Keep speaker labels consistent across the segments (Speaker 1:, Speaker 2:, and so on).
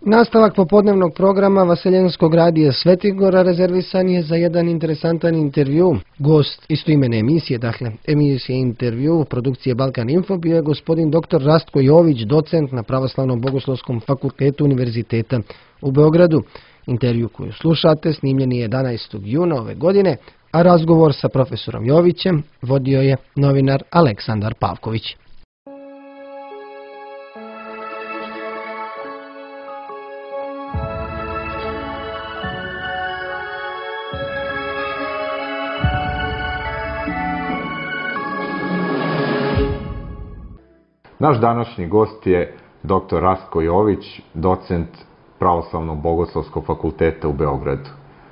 Speaker 1: Nastavak popodnevnog programa Vaseljenskog radija Svetigora rezervisan je za jedan interesantan intervju. Gost istoimene emisije, emisije intervju produkcije Balkan Info, bio je gospodin dr. Rastko Jović, docent na Pravoslavnom bogoslovskom fakultetu Univerziteta u Beogradu. Intervju koju slušate snimljen je 11. juna ove godine, a razgovor sa profesorom Jovićem vodio je novinar Aleksandar Pavković.
Speaker 2: Naš današnji gost je dr. Rastko Jović, docent Pravoslavnog bogoslovskog fakulteta u Beogradu.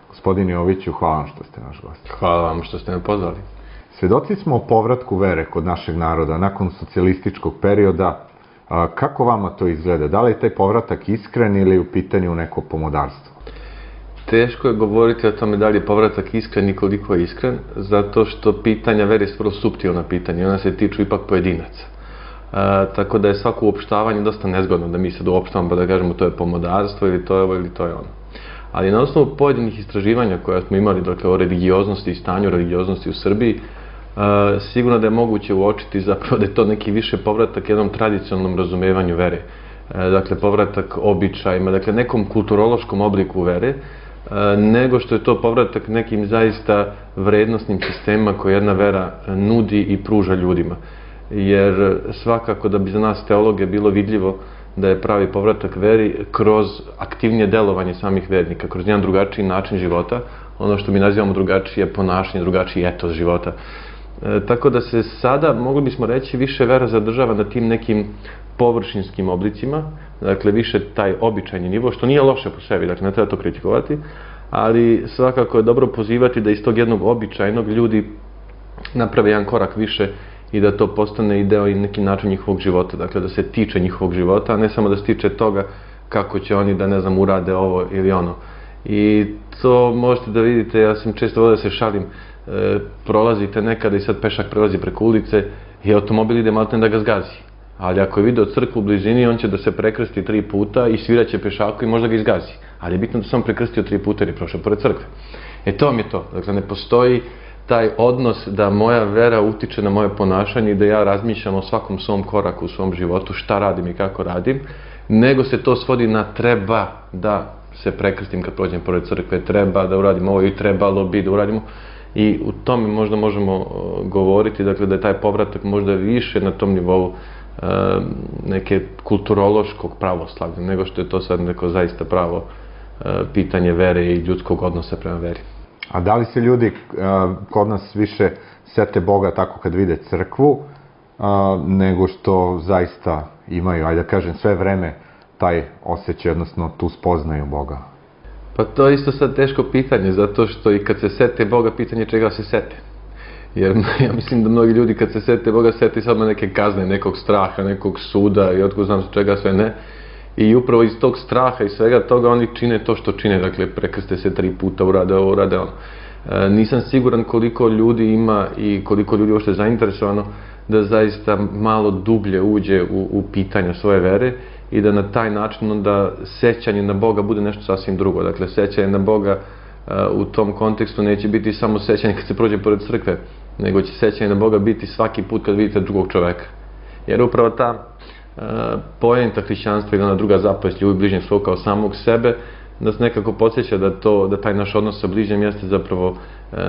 Speaker 2: Gospodine Joviću, hvala vam što ste naš gost.
Speaker 3: Hvala vam što ste me pozvali.
Speaker 2: Svedoci smo o povratku vere kod našeg naroda nakon socijalističkog perioda. Kako vama to izgleda? Da li je taj povratak iskren ili je u pitanju neko pomodarstvo?
Speaker 3: Teško je govoriti o tome da li je povratak iskren i koliko je iskren, zato što pitanja vere su vrlo suptilna pitanja. Ona se tiču ipak pojedinaca. Tako da je svako uopštavanje dosta nezgodno da mi sad uopštavamo pa da kažemo to je pomodarstvo ili to je ovo ili to je ono. Ali na osnovu pojedinih istraživanja koja smo imali o religioznosti i stanju religioznosti u Srbiji, sigurno da je moguće uočiti zapravo da je to neki više povratak jednom tradicionalnom razumevanju vere. Dakle, povratak običajima, dakle nekom kulturološkom obliku vere, nego što je to povratak nekim zaista vrednostnim sistemima koje jedna vera nudi i pruža ljudima. Jer svakako da bi za nas teologe bilo vidljivo da je pravi povratak veri kroz aktivnije delovanje samih vernika, kroz jedan drugačiji način života, ono što mi nazivamo drugačije ponašanje, drugačiji etos života. Tako da se sada, mogli bismo reći, više vera zadržava na tim nekim površinskim oblicima, dakle više taj običajni nivo, što nije loše po sebi, dakle ne treba to kritikovati, ali svakako je dobro pozivati da iz tog jednog običajnog ljudi naprave jedan korak više i da to postane i deo i neki način njihovog života, dakle da se tiče njihovog života, a ne samo da se tiče toga kako će oni da, ne znam, urade ovo ili ono. I to možete da vidite, ja sam često volio da se šalim, prolazite nekada i sad pešak prelazi preko ulice i automobil ide maltene da ga zgazi. Ali ako je video crkvu u blizini, on će da se prekrsti 3 puta i sviraće pešaku i možda ga izgazi. Ali je bitno da sam prekrstio 3 puta jer je prošao pored crkve. To vam je to. Dakle, ne postoji taj odnos da moja vera utiče na moje ponašanje i da ja razmišljam o svakom svom koraku u svom životu, šta radim i kako radim, nego se to svodi na treba da se prekrstim kad prođem pored crkve, treba da uradim ovo i trebalo bi da uradimo. I u tome možda možemo govoriti, dakle, da je taj povratak možda više na tom nivou neke kulturološkog pravoslavlja, nego što je to sad neko zaista pravo pitanje vere i ljudskog odnosa prema veri.
Speaker 2: A da li se ljudi kod nas više sete Boga tako kad vide crkvu, nego što zaista imaju, ajde da kažem, sve vreme taj osjećaj, odnosno tu spoznaju Boga?
Speaker 3: Pa to je isto sad teško pitanje, zato što i kad se sete Boga, pitanje čega se sete. Jer ja mislim da mnogi ljudi kad se sete Boga, sete samo neke kazne, nekog straha, nekog suda i otko znam čega sve ne. I upravo iz tog straha i svega toga oni čine to što čine, dakle prekrste se 3 puta, urade ovo, urade ono. Nisam siguran koliko ljudi ima i koliko ljudi uopšte je zainteresovano da zaista malo dublje uđe u pitanja svoje vere i da na taj način onda sećanje na Boga bude nešto sasvim drugo. Dakle, sećanje na Boga u tom kontekstu neće biti samo sećanje kad se prođe pored crkve, nego će sećanje na Boga biti svaki put kad vidite drugog čoveka. Jer upravo ta poenta hrišćanstva i ona druga zapovest ljubi bližnjeg svog kao samog sebe nas nekako podsjeća da taj naš odnos sa bližnjim jeste zapravo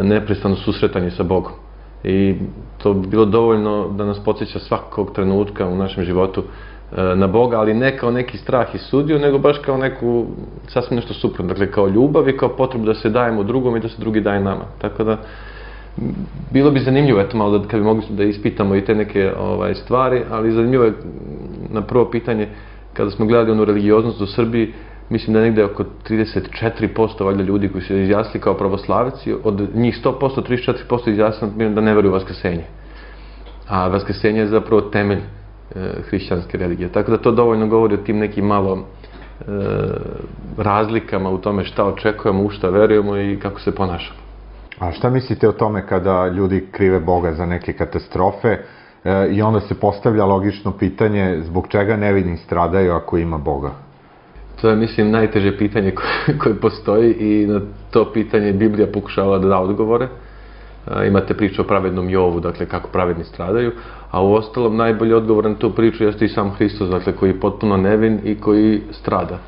Speaker 3: neprestano susretanje sa Bogom. I to bi bilo dovoljno da nas podsjeća svakog trenutka u našem životu na Boga, ali ne kao neki strah i sudiju, nego baš kao neku sasvim nešto suprotno, dakle kao ljubav i kao potrebu da se dajemo drugom i da se drugi daje nama. Tako da bilo bi zanimljivo, eto malo kad bi mogli da ispitamo i te neke stvari, ali zanimljivo je na prvo pitanje, kada smo gledali onu religioznost u Srbiji, mislim da je negde oko 34% valjda ljudi koji su izjasnili kao pravoslavci, od njih 100%, 34% izjasnili da ne veruju u vaskrsenje. A vaskrsenje je zapravo temelj hrišćanske religije. Tako da to dovoljno govori o tim nekim malo razlikama u tome šta očekujemo, u šta verujemo i kako se ponašamo.
Speaker 2: A šta mislite o tome kada ljudi krive Boga za neke katastrofe i onda se postavlja logično pitanje zbog čega nevini stradaju ako ima Boga?
Speaker 3: To je, mislim, najteže pitanje koje postoji i na to pitanje Biblija pokušava da da odgovore. Imate priču o pravednom Jovu, dakle kako pravedni stradaju, a u ostalom najbolji odgovor na tu priču jeste i sam Hristos, dakle koji je potpuno nevin i koji strada.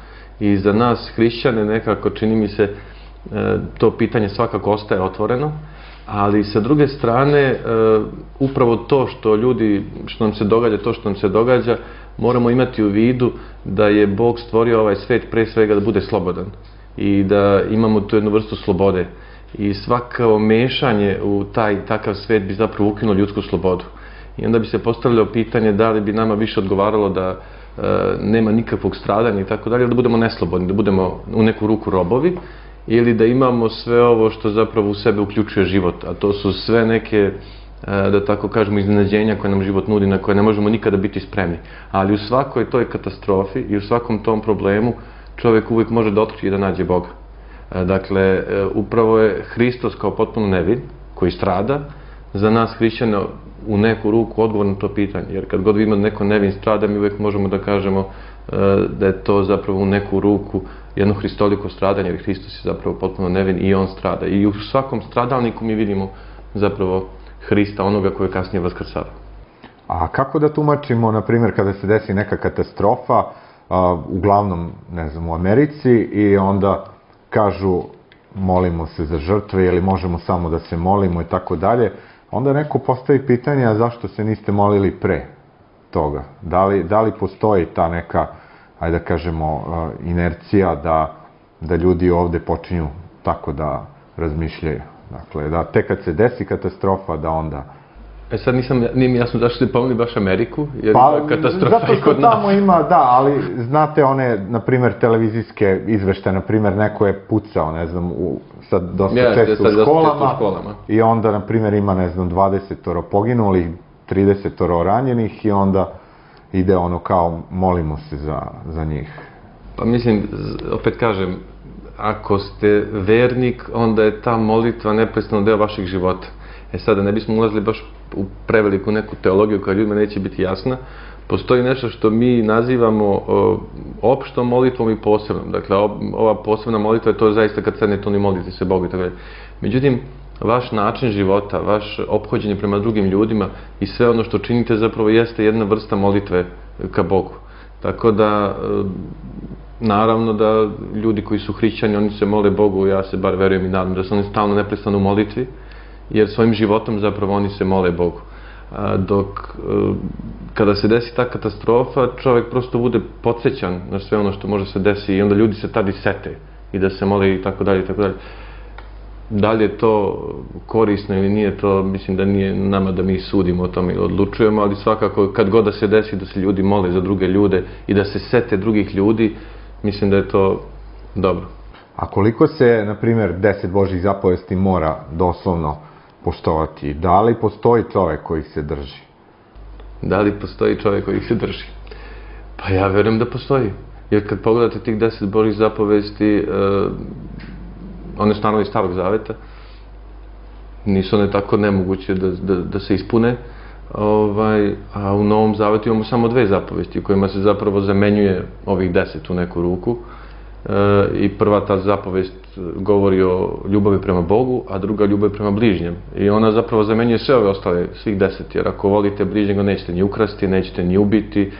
Speaker 3: I za nas hrišćane nekako čini mi se to pitanje svakako ostaje otvoreno, ali sa druge strane upravo to što nam se događa, to što nam se događa, moramo imati u vidu da je Bog stvorio ovaj svet pre svega da bude slobodan i da imamo tu jednu vrstu slobode. I svako mešanje u takav svet bi zapravo ukinulo ljudsku slobodu. I onda bi se postavljalo pitanje da li bi nama više odgovaralo da nema nikakvog stradanja i tako dalje, da budemo neslobodni, da budemo u neku ruku robovi, ili da imamo sve ovo što zapravo u sebe uključuje život, a to su sve neke, da tako kažemo, iznenađenja koje nam život nudi, na koje ne možemo nikada biti spremni. Ali u svakoj toj katastrofi i u svakom tom problemu čovjek uvijek može da otkrije i da nađe Boga. Dakle, upravo je Hristos kao potpuno nevin, koji strada, za nas hrišćane u neku ruku odgovor na to pitanje. Jer kad god vidimo da neko nevin strada, mi uvijek možemo da kažemo da je to zapravo u neku ruku jedno hristoliko stradanje, jer Hristos je zapravo potpuno nevin i on strada. I u svakom stradalniku mi vidimo zapravo Hrista, onoga koji je kasnije vaskrsava.
Speaker 2: A kako da tumačimo, na primjer, kada se desi neka katastrofa, uglavnom, ne znam, u Americi, i onda kažu molimo se za žrtve ili možemo samo da se molimo i tako dalje, onda neko postavi pitanje, a zašto se niste molili pre toga? Da li postoji ta neka, ajde da kažemo, inercija da ljudi ovde počinju tako da razmišljaju? Dakle, da tek kad se desi katastrofa, da onda...
Speaker 3: Sad nije mi jasno zašto ste pomeli baš Ameriku, jer ima katastrofa i kod nas.
Speaker 2: Zato što tamo ima, da, ali znate one, na primjer, televizijske izveštaje, na primjer, neko je pucao, ne znam, sad dosta često u školama, i onda, na primjer, ima, ne znam, 20 poginulih, 30 ranjenih, i onda ide ono kao, molimo se za njih.
Speaker 3: Pa mislim, opet kažem, ako ste vernik, onda je ta molitva neprestano deo vašeg života. Sada ne bismo ulazili baš u preveliku neku teologiju koja ljudima neće biti jasna. Postoji nešto što mi nazivamo opštom molitvom i posebnom. Dakle, ova posebna molitva je to zaista kad sednete oni molite se Bogu i tako dalje. Međutim, vaš način života, vaš ophođenje prema drugim ljudima i sve ono što činite zapravo jeste jedna vrsta molitve ka Bogu. Tako da, naravno da ljudi koji su hrišćani, oni se mole Bogu, ja se bar verujem i nadam da su oni stalno neprestano u molitvi, jer svojim životom zapravo oni se mole Bogu. Dok kada se desi ta katastrofa, čovjek prosto bude podsjećan na sve ono što može se desiti i onda ljudi se tada i sete i da se mole i tako dalje i tako dalje. Da li je to korisno ili nije, to mislim da nije nama da mi sudimo o tome ili odlučujemo, ali svakako kad god da se desi da se ljudi mole za druge ljude i da se sete drugih ljudi, mislim da je to dobro.
Speaker 2: A koliko se, na primjer, 10 Božjih zapovesti mora doslovno poštovati? Da li postoji čovjek koji se drži?
Speaker 3: Da li postoji čovjek koji se drži? Pa ja verujem da postoji. Jer kad pogledate tih 10 Božjih zapovesti, one su naravno iz Starog Zaveta, nisu one tako nemoguće da se ispune, a u Novom Zavetu imamo samo 2 zapovesti u kojima se zapravo zamenjuje ovih 10 u neku ruku. I prva ta zapovest govori o ljubavi prema Bogu, a druga ljubavi prema bližnjem. I ona zapravo zamenjuje sve ove ostale, svih 10, jer ako volite bližnjega nećete ni ukrasti, nećete ni ubiti,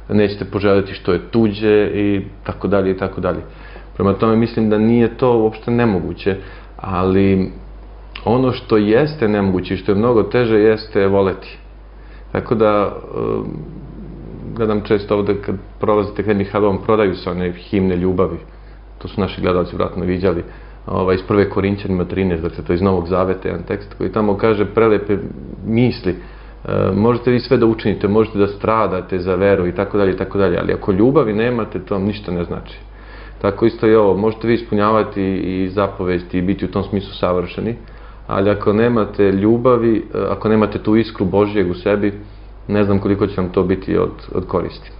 Speaker 3: nećete poželjeti što je tuđe i tako dalje i tako dalje. Prema tome mislim da nije to uopšte nemoguće, ali ono što jeste nemoguće i što je mnogo teže jeste voleti. Tako da gledam često ovde kad prolazite Henry Hallom, prodaju se one himne ljubavi. To su naši gledalci vratno viđali. Iz 1. Korinćanima 13, dakle to je iz Novog Zaveta, jedan tekst koji tamo kaže prelepe misli. Možete vi sve da učinite, možete da stradate za veru i tako dalje i tako dalje, ali ako ljubavi nemate, to vam ništa ne znači. Tako isto i ovo, možete vi ispunjavati i zapovesti i biti u tom smislu savršeni, ali ako nemate ljubavi, ako nemate tu iskru Božjeg u sebi, ne znam koliko će vam to biti od koristi.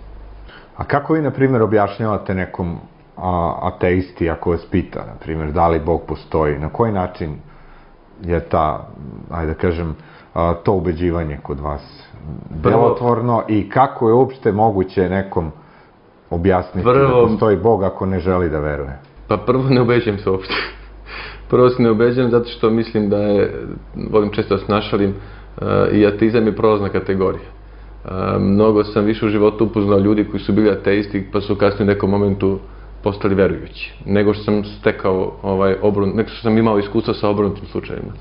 Speaker 2: A kako vi, na primjer, objašnjavate nekom ateisti ako vas pita, na primjer, da li Bog postoji? Na koji način je ajde da kažem, to ubeđivanje kod vas delotvorno i kako je uopšte moguće nekom objasniti da postoji Bog ako ne želi da veruje?
Speaker 3: Pa prvo ne ubeđujem se uopšte. Prvo se ne ubeđujem zato što mislim da volim često da se našalim, i ateizam je prolazna kategorija. Mnogo sam više u životu upoznao ljudi koji su bili ateisti pa su kasnije u nekom momentu postali verujući, nego što sam stekao nego što sam imao iskustva sa obrnutim slučajima.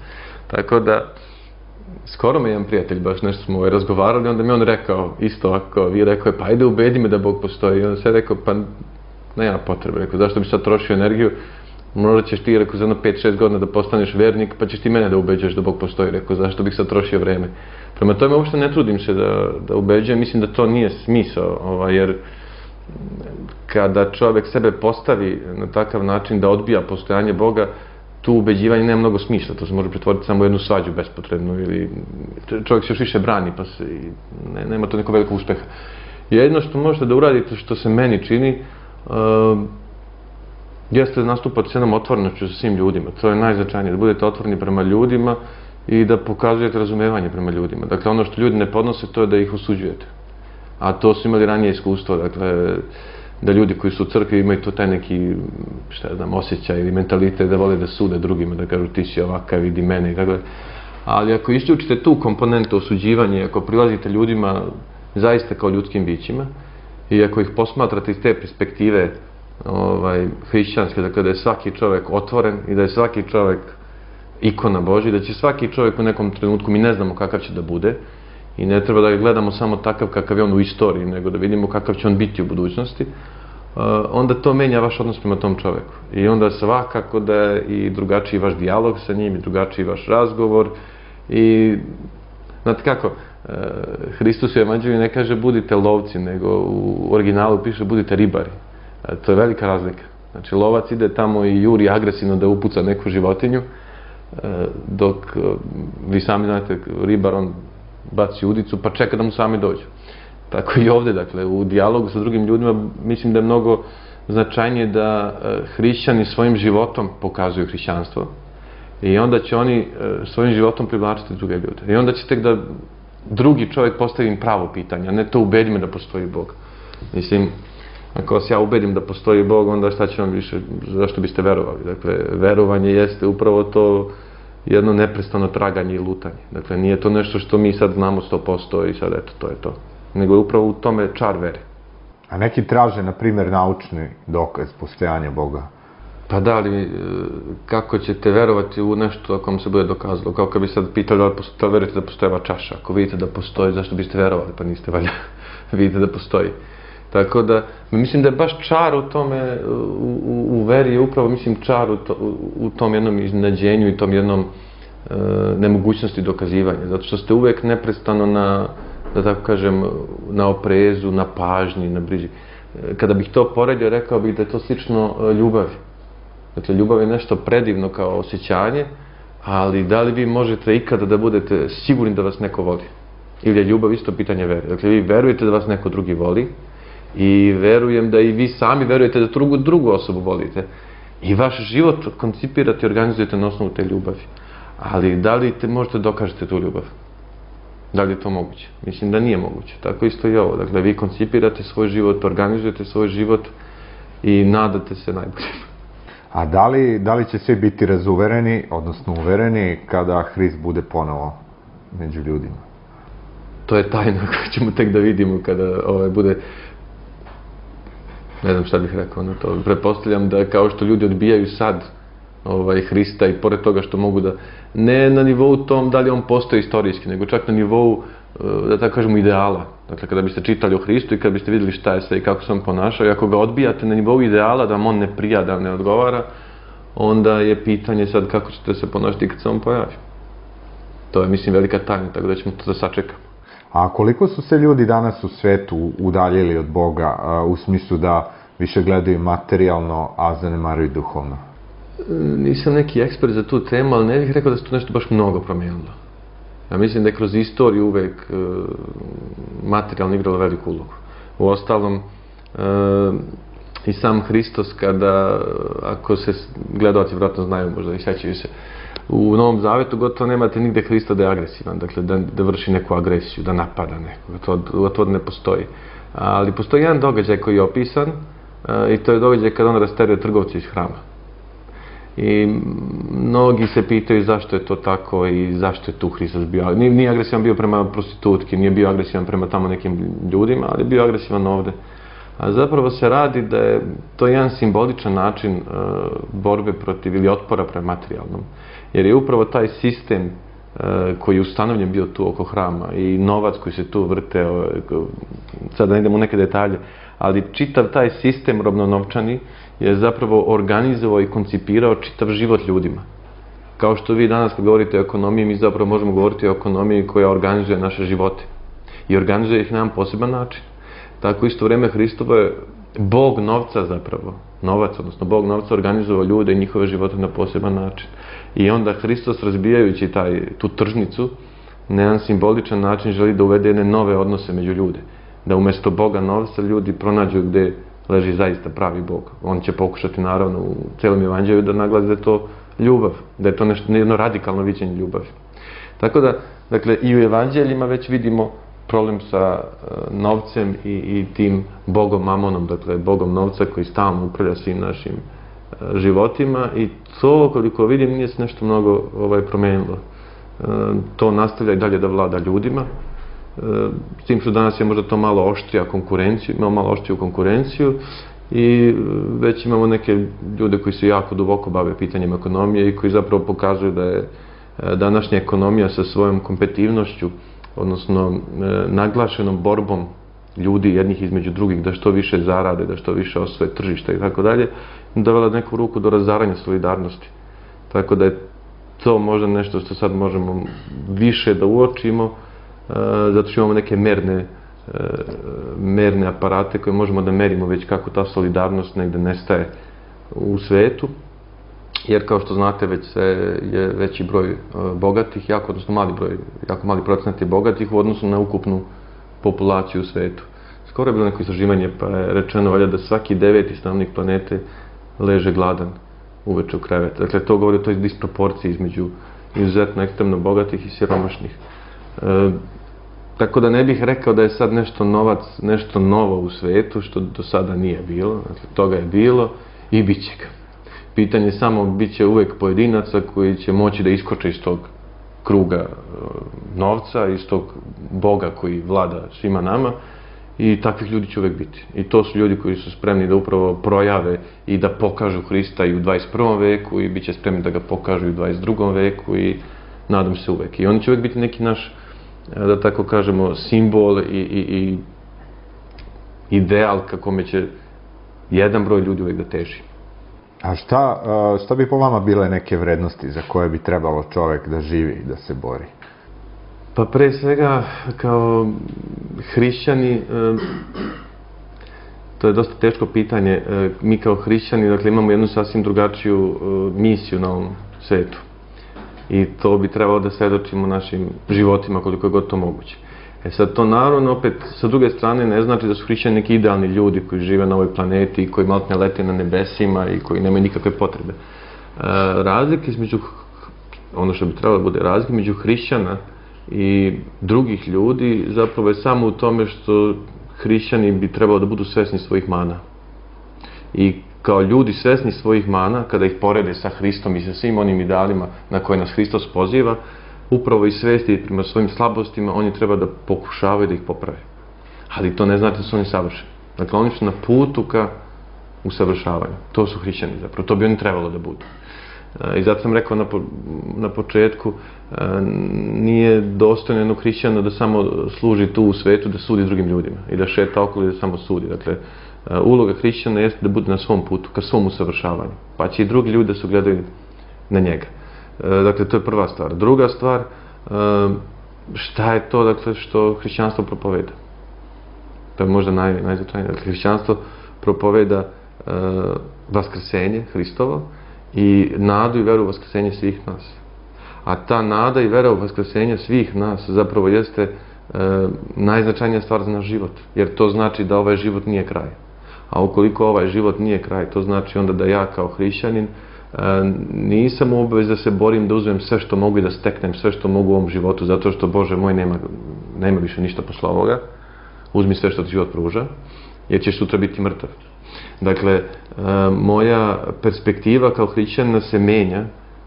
Speaker 3: Tako da, skoro me jedan prijatelj, baš nešto smo razgovarali, onda mi on rekao, isto ovako, rekao je, pa ajde ubedi me da Bog postoji. I onda se rekao, pa nema potrebe, rekao, zašto bi sad trošio energiju, možda ćeš ti, rekao, za jedno 5-6 godina da postaneš vernik, pa ćeš ti mene da ubeđuješ da Bog postoji, rekao, zašto bih sad trošio vreme. Prema tome, uopšte ne trudim se da ubeđujem, mislim da to nije smisao, jer kada čovjek sebe postavi na takav način da odbija postojanje Boga, tu ubeđivanje nema mnogo smisla, to se može pretvoriti samo u jednu svađu bespotrebnu ili čovjek se još više brani pa nema to nekog velikog uspeha. Jedino što možete da uradite, što se meni čini, jeste da nastupate s jednom otvorenošću sa svim ljudima. To je najznačajnije, da budete otvoreni prema ljudima i da pokazujete razumevanje prema ljudima. Dakle, ono što ljudi ne podnose, to je da ih osuđujete. A to su imali ranije iskustvo, dakle, da ljudi koji su u crkvi imaju to taj neki, osjećaj ili mentalitet da vole da sude drugima, da kažu ti si ovakav, vidi mene i tako da. Ali ako isključite tu komponentu osuđivanja, ako prilazite ljudima zaista kao ljudskim bićima i ako ih posmatrate iz te perspektive hrišćanske, dakle da je svaki čovjek otvoren i da je svaki čovjek ikona Božja, da će svaki čovjek u nekom trenutku, mi ne znamo kakav će da bude i ne treba da ga gledamo samo takav kakav je on u istoriji, nego da vidimo kakav će on biti u budućnosti, onda to menja vaš odnos prema tom čovjeku. I onda svakako da je i drugačiji vaš dijalog sa njim, i drugačiji vaš razgovor. I, znate kako, Hristos u Evanđelju ne kaže budite lovci, nego u originalu piše budite ribari. To je velika razlika. Znači, lovac ide tamo i juri agresivno da upuca neku životinju, dok vi sami znate, ribar, on baci udicu pa čeka da mu sami dođu. Tako i ovdje, dakle, u dijalogu sa drugim ljudima mislim da je mnogo značajnije da hrišćani svojim životom pokazuju hrišćanstvo i onda će oni svojim životom privlačiti druge ljude. I onda će tek da drugi čovjek postavi im pravo pitanje, a ne to ubedi me da postoji Bog. Mislim, ako vas ja ubedim da postoji Bog, onda šta će vam više, zašto biste verovali? Dakle, verovanje jeste upravo to jedno neprestano traganje i lutanje. Dakle, nije to nešto što mi sad znamo 100% i sad eto, to je to. Nego je upravo u tome čar vere.
Speaker 2: A neki traže, na primjer, naučni dokaz postojanja Boga?
Speaker 3: Pa da li, kako ćete verovati u nešto ako vam se bude dokazalo? Kao kad bi sad pitali da li verujete da postoji ova čaša. Ako vidite da postoji, zašto biste verovali? Pa niste valjda vidite da postoji. Tako da, mislim da je baš čar u tome, u veri je upravo, mislim, čar u tom jednom iznenađenju i tom jednom nemogućnosti dokazivanja. Zato što ste uvek neprestano na, da tako kažem, na oprezu, na pažnji, na briži. Kada bih to poredio, rekao bih da je to slično ljubavi. Dakle, ljubav je nešto predivno kao osjećanje, ali da li vi možete ikada da budete sigurni da vas neko voli? Ili je ljubav isto pitanje vere? Dakle, vi verujete da vas neko drugi voli i verujem da i vi sami verujete da drugu osobu volite. I vaš život koncipirate i organizujete na osnovu te ljubavi. Ali da li možete dokažete tu ljubav? Da li je to moguće? Mislim da nije moguće. Tako isto i ovo. Dakle, vi koncipirate svoj život, organizujete svoj život i nadate se najbolje.
Speaker 2: A da li će svi biti razuvereni, odnosno uvereni, kada Hrist bude ponovo među ljudima?
Speaker 3: To je tajna koju ćemo tek da vidimo kada bude... Ne znam šta bih rekao na to. Pretpostavljam da kao što ljudi odbijaju sad Hrista i pored toga što mogu da... Ne na nivou tom da li on postoji istorijski, nego čak na nivou, da tako kažemo, ideala. Dakle, kada biste čitali o Hristu i kada biste vidjeli šta je sve i kako se on ponašao, i ako ga odbijate na nivou ideala, da vam on ne prija, da vam ne odgovara, onda je pitanje sad kako ćete se ponašati kad se on pojavi. To je, mislim, velika tajna, tako da ćemo to da sačekamo.
Speaker 2: A koliko su se ljudi danas u svetu udaljili od Boga, u smislu da više gledaju materijalno, a zanemaruju duhovno?
Speaker 3: Nisam neki ekspert za tu temu, ali ne bih rekao da se to nešto baš mnogo promijenilo. Ja mislim da je kroz istoriju uvek materijalno igralo veliku ulogu. Uostalom, i sam Hristos, kada, ako se gledalci vjerojatno znaju, možda i sećaju se, u Novom Zavetu gotovo nemate nigde Hrista da je agresivan, dakle da vrši neku agresiju, da napada nekoga, to ne postoji. Ali postoji jedan događaj koji je opisan i to je događaj kada on rasteruje trgovce iz hrama. I mnogi se pitaju zašto je to tako i zašto je tu Hristos bio. Nije agresivan bio prema prostitutki, nije bio agresivan prema tamo nekim ljudima, ali je bio agresivan ovde. A zapravo se radi da je to jedan simboličan način borbe protiv ili otpora prema materijalnom. Jer je upravo taj sistem koji je ustanovljen bio tu oko hrama i novac koji se tu vrteo, sad da ne idemo u neke detalje, ali čitav taj sistem robno-novčani je zapravo organizovao i koncipirao čitav život ljudima. Kao što vi danas kad govorite o ekonomiji, mi zapravo možemo govoriti o ekonomiji koja organizuje naše živote. I organizuje ih na jedan poseban način. Tako isto vreme Hristovo je Bog novca zapravo, novac, odnosno Bog novca organizovao ljude i njihove živote na poseban način. I onda Hristos, razbijajući tu tržnicu, na jedan simboličan način želi da uvede jedne nove odnose među ljude. Da umjesto Boga novca ljudi pronađu gde leži zaista pravi Bog. On će pokušati naravno u celom evanđelju da naglasi da je to ljubav, da je to jedno radikalno viđenje ljubavi. Tako da, dakle, i u evanđeljima već vidimo problem sa novcem i tim Bogom Mamonom, dakle, Bogom novca koji stalno upravlja svim našim životima i to, koliko vidim, nije se nešto mnogo promenilo. To nastavlja i dalje da vlada ljudima, s tim što danas je možda to malo oštrija konkurenciju, imamo malo oštriju konkurenciju i već imamo neke ljude koji se jako duboko bave pitanjem ekonomije i koji zapravo pokazuju da je današnja ekonomija sa svojom kompetitivnošću, odnosno naglašenom borbom ljudi jednih između drugih, da što više zarade, da što više osvoje tržišta i tako dalje, dovela neku ruku do razaranja solidarnosti. Tako da je to možda nešto što sad možemo više da uočimo, zato što imamo neke merne aparate koje možemo da merimo već kako ta solidarnost negde nestaje u svetu. Jer kao što znate već je veći broj bogatih, jako mali procenat je bogatih u odnosu na ukupnu populaciju u svetu. Skoro je bilo neko istraživanje pa je rečeno valjda da svaki 9. stanovnik planete leže gladan uveče u krevetu. Dakle, to govori o toj disproporciji između izuzetno ekstremno bogatih i siromašnih. Tako da ne bih rekao da je sad nešto novo u svetu, što do sada nije bilo. Dakle, toga je bilo i bit će ga. Pitanje je samo, bit će uvek pojedinaca koji će moći da iskoče iz tog kruga novca, iz tog Boga koji vlada svima nama i takvih ljudi će uvek biti. I to su ljudi koji su spremni da upravo projave i da pokažu Hrista i u 21. veku i bit će spremni da ga pokažu i u 22. veku i nadam se uvek. I oni će uvek biti neki naš, da tako kažemo, simbol i ideal ka kome će jedan broj ljudi uvek da teži.
Speaker 2: A šta bi po vama bile neke vrednosti za koje bi trebalo čovek da živi, da se bori?
Speaker 3: Pa pre svega, kao hrišćani, to je dosta teško pitanje. Mi kao hrišćani, dakle, imamo jednu sasvim drugačiju misiju na ovom svetu. I to bi trebalo da svedočimo našim životima koliko je god to moguće. Sad, to naravno opet, sa druge strane, ne znači da su hrišćani neki idealni ljudi koji žive na ovoj planeti i koji maltene lete na nebesima i koji nemaju nikakve potrebe. Razlike između, ono što bi trebalo da bude razlike između hrišćana i drugih ljudi zapravo je samo u tome što hrišćani bi trebalo da budu svesni svojih mana. I kao ljudi svesni svojih mana, kada ih porede sa Hristom i sa svim onim idealima na koje nas Hristos poziva, upravo i svesti prema svojim slabostima, oni treba da pokušavaju da ih poprave. Ali to ne znači da su oni savršeni. Dakle, oni su na putu ka usavršavanju. To su hrišćani zapravo. To bi oni trebalo da budu. I zato sam rekao na početku, nije dostojno jednog hrišćana da samo služi tu u svetu, da sudi drugim ljudima i da šeta okolo i da samo sudi. Dakle, uloga hrišćana jeste da bude na svom putu, ka svom usavršavanju. Pa će i drugi ljudi da se gledaju na njega. Dakle, to je prva stvar. Druga stvar, šta je to, dakle, što hrišćanstvo propoveda? To je možda najznačajnije. Dakle, hrišćanstvo propoveda vaskrsenje Hristovo i nadu i veru u vaskrsenje svih nas. A ta nada i vera u vaskrsenje svih nas zapravo jeste najznačajnija stvar za naš život. Jer to znači da ovaj život nije kraj. A ukoliko ovaj život nije kraj, to znači onda da ja kao hrišćanin nisam u obavezi da se borim da uzmem sve što mogu i da steknem sve što mogu u ovom životu, zato što, Bože moj, nema više ništa posle ovoga. uzmi sve što ti život pruža, jer ćeš sutra biti mrtav. Dakle, moja perspektiva kao hrišćanina se menja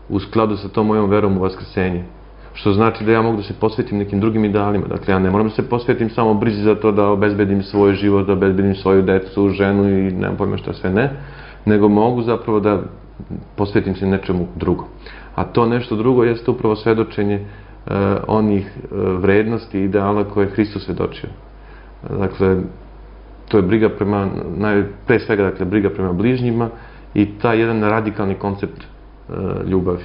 Speaker 3: u skladu sa tom mojom verom u vaskrsenje. Što znači da ja mogu da se posvetim nekim drugim idealima. Dakle, ja ne moram da se posvetim samo brizi za to da obezbedim svoj život, da obezbedim svoju decu, ženu i nemam pojma šta sve ne, nego mogu zapravo da posvetim se nečemu drugom. A to nešto drugo jeste upravo svedočenje onih vrednosti i ideala koje je Hristos svedočio. Dakle, to je briga prema, pre svega, dakle, briga prema bližnjima i taj jedan radikalni koncept ljubavi.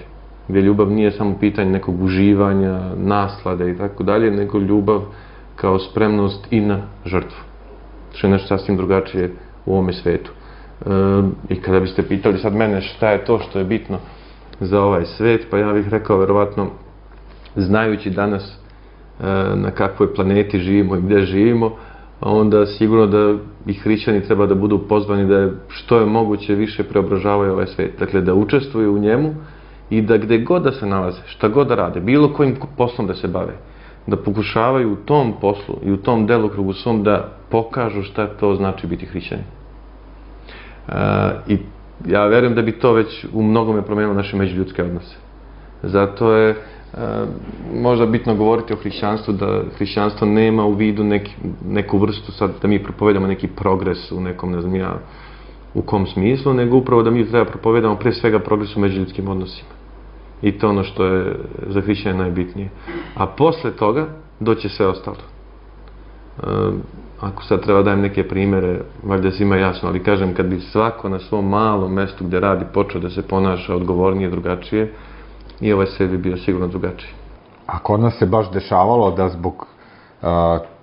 Speaker 3: Gdje ljubav nije samo pitanje nekog uživanja, naslade i tako dalje, nego ljubav kao spremnost i na žrtvu. Što je nešto sasvim drugačije u ovome svetu. I kada biste pitali sad mene šta je to što je bitno za ovaj svet, pa ja bih rekao verovatno, znajući danas na kakvoj planeti živimo i gdje živimo, onda sigurno da i hrišćani treba da budu pozvani da što je moguće više preobražavaju ovaj svet. Dakle, da učestvuju u njemu i da gde god da se nalaze, šta god da rade, bilo kojim poslom da se bave, da pokušavaju u tom poslu i u tom delokrugu svom da pokažu šta to znači biti hrišćanin. I ja verujem da bi to već u mnogome promenilo naše međuljudske odnose. Zato je možda bitno govoriti o hrišćanstvu, da hrišćanstvo nema u vidu neku vrstu, sad da mi propovedamo neki progres u nekom, ne znam ja, u kom smislu, nego upravo da mi treba propovedamo pre svega progres u međuljudskim odnosima. I to ono što je za hrišćane najbitnije. A posle toga doće sve ostalo. Ako sad treba dajem neke primere, valjda svima jasno, ali kažem, kad bi svako na svom malom mestu gdje radi počeo da se ponaša odgovornije, drugačije, i ovaj svet bi bio sigurno drugačiji.
Speaker 2: A kod nas se baš dešavalo da zbog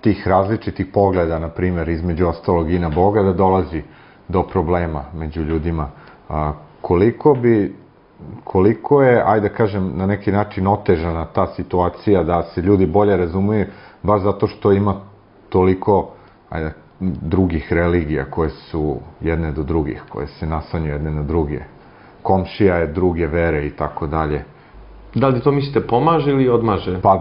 Speaker 2: tih različitih pogleda, na primjer, između ostalog i na Boga, da dolazi do problema među ljudima. Koliko je, ajde da kažem, na neki način otežana ta situacija da se ljudi bolje razumiju, baš zato što ima toliko drugih religija koje su jedne do drugih, koje se nasanjuju jedne na druge. Komšija je druge vere i tako dalje.
Speaker 3: Da li to mislite pomaže ili odmaže?
Speaker 2: Pa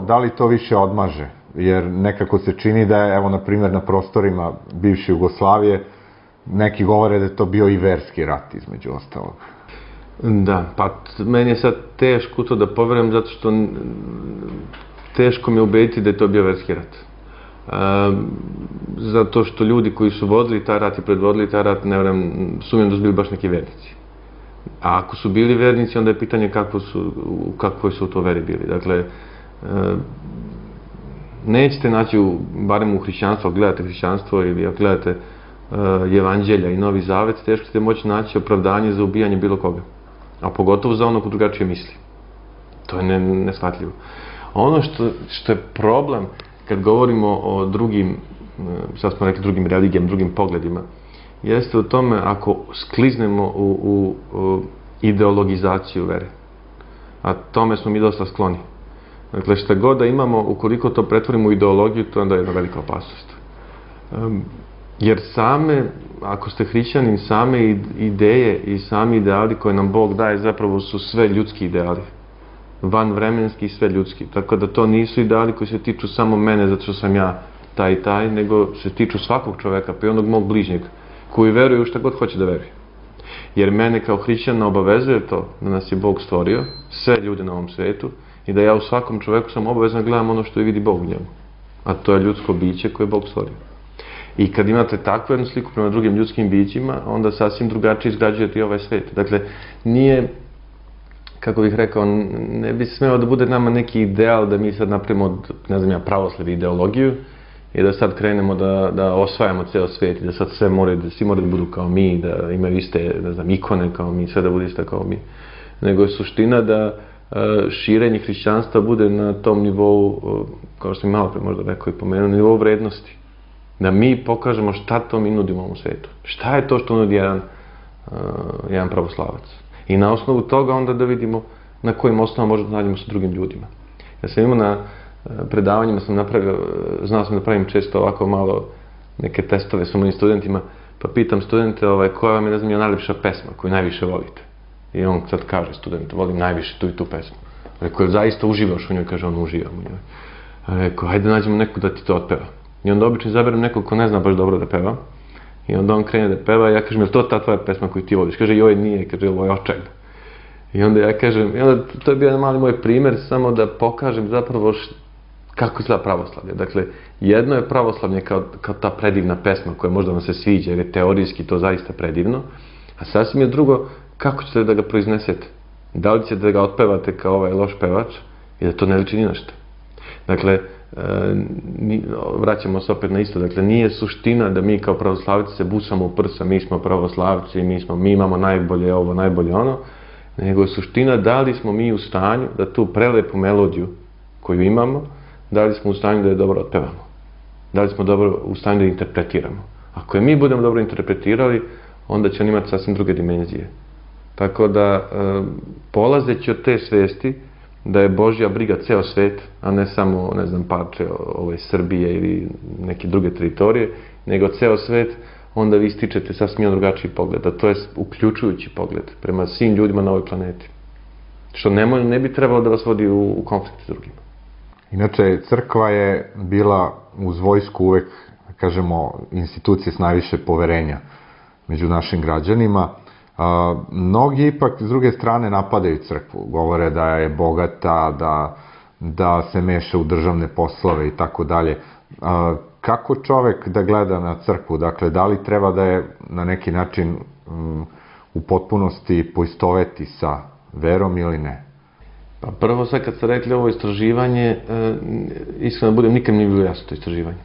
Speaker 2: da li to više odmaže? Jer nekako se čini da je, evo, na primjer, na prostorima bivše Jugoslavije, neki govore da je to bio i verski rat, između ostalog.
Speaker 3: Da, pa meni je sad teško to da poverujem, zato što teško mi je ubediti da je to bio verski rat. Zato što ljudi koji su vodili taj rat i predvodili taj rat, ne vjerujem, sumnjam da su bili baš neki vernici. A ako su bili vernici, onda je pitanje u kakvoj su to veri bili. Dakle, nećete naći, barem u hrišćanstvu, ako gledate hrišćanstvo ili ako gledate Evanđelja i Novi Zavet, teško ćete moći naći opravdanje za ubijanje bilo koga. A pogotovo za ono ko drugačije misli. To je neshvatljivo. Ono što je problem, kad govorimo o drugim, sad smo rekli drugim religijama, drugim pogledima, jeste u tome ako skliznemo u ideologizaciju vere. A tome smo mi dosta skloni. Dakle, šta god da imamo, ukoliko to pretvorimo u ideologiju, to je onda jedna velika opasnost. Jer ako ste hrišćanin, same ideje i sami ideali koje nam Bog daje zapravo su sve ljudski ideali. Vanvremenski i sve ljudski. Tako da to nisu ideali koji se tiču samo mene zato što sam ja taj i taj, nego se tiču svakog čoveka, pa i onog mog bližnjeg, koji veruje u šta god hoće da veruje. Jer mene kao hrišćana obavezuje to da nas je Bog stvorio, sve ljude na ovom svetu, i da ja u svakom čoveku sam obavezan gledam ono što i vidi Bog u njemu. A to je ljudsko biće koje je Bog stvorio. I kad imate takvu jednu sliku prema drugim ljudskim bićima, onda sasvim drugačije izgrađujete i ovaj svet. Dakle, nije, kako bih rekao, ne bi smeo da bude nama neki ideal da mi sad napravimo od, ne znam ja, pravoslavlje ideologiju i da sad krenemo da osvajamo ceo svet i da sad svi moraju da budu kao mi, da imaju iste, ne znam, ikone kao mi, sve da bude iste kao mi. Nego je suština da širenje hrišćanstva bude na tom nivou, kao što mi malo pre možda rekao i pomenuo, na nivou vrednosti. Da mi pokažemo šta to mi nudimo u svijetu. Šta je to što nudi jedan pravoslavac. I na osnovu toga onda da vidimo na kojim osnovama možemo da nađemo sa drugim ljudima. Ja sam imao na predavanjima, znao sam da pravim često ovako malo neke testove sa mojim studentima, pa pitam studente koja vam je, ne znam, najljepša pesma koju najviše volite. I on sad kaže student, volim najviše tu i tu pesmu. Rekao, zaista uživaš u njoj? Kaže, on uživam u njoj. Rekao, hajde nađemo neku da ti to otpeva. I onda obično izaberem nekog ko ne zna baš dobro da peva. I onda on krene da peva i ja kažem, je li to ta tvoja pesma koju ti voliš? Kaže, joj nije, kaže, ovo je očajno. I onda ja kažem, to je bio jedan mali moj primer, samo da pokažem zapravo kako izgleda pravoslavlje. Dakle, jedno je pravoslavlje kao ta predivna pesma koja možda vam se sviđa, jer je teorijski to zaista predivno, a sasvim je drugo kako ćete da ga proiznesete. Da li ćete da ga otpevate kao ovaj loš pevač i da to ne liči ni na što. Dakle, vraćamo se opet na isto, dakle, nije suština da mi kao pravoslavci se busamo u prsa, mi smo pravoslavci, mi imamo najbolje ovo, najbolje ono, nego je suština da li smo mi u stanju da tu prelepu melodiju koju imamo, da li smo u stanju da je dobro otpevamo, da li smo dobro u stanju da je interpretiramo. Ako je mi budemo dobro interpretirali, onda će on imati sasvim druge dimenzije. Tako da, polazeći od te svesti, da je Božja briga ceo svet, a ne samo, ne znam, parče ove Srbije ili neke druge teritorije, nego ceo svet, onda vi stičete sasvim drugačiji pogled, a to je uključujući pogled prema svim ljudima na ovoj planeti. Što ne bi trebalo da vas vodi u konflikt s drugima.
Speaker 2: Inače, crkva je bila uz vojsku uvek, kažemo, institucija s najviše poverenja među našim građanima. Mnogi ipak s druge strane napadaju crkvu, govore da je bogata, da se meša u državne poslove i tako dalje. Kako čovek da gleda na crkvu? Dakle, da li treba da je na neki način u potpunosti poistoveti sa verom ili ne?
Speaker 3: Pa prvo sad kad ste rekli ovo istraživanje, iskreno da budem, nikad mi nije bilo jasno to istraživanje.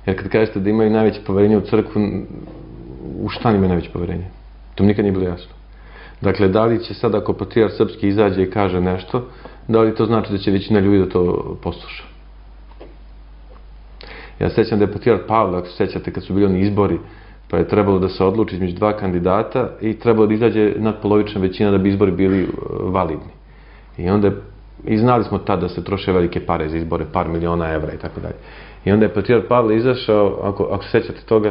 Speaker 3: Jer kad kažete da imaju najveće poverenje u crkvu, u šta imaju najveće poverenje? To mi nikad nije bilo jasno. Dakle, da li će sad ako patrijarh srpski izađe i kaže nešto, da li to znači da će većina ljudi da to posluša? Ja sećam da je patrijarh Pavle, ako se sećate, kad su bili oni izbori, pa je trebalo da se odluči između dva kandidata i trebalo da izađe nadpolovična većina da bi izbori bili validni. I znali smo tad da se troše velike pare za izbore, par miliona evra i tako dalje. I onda je patrijarh Pavle izašao, ako se sećate toga,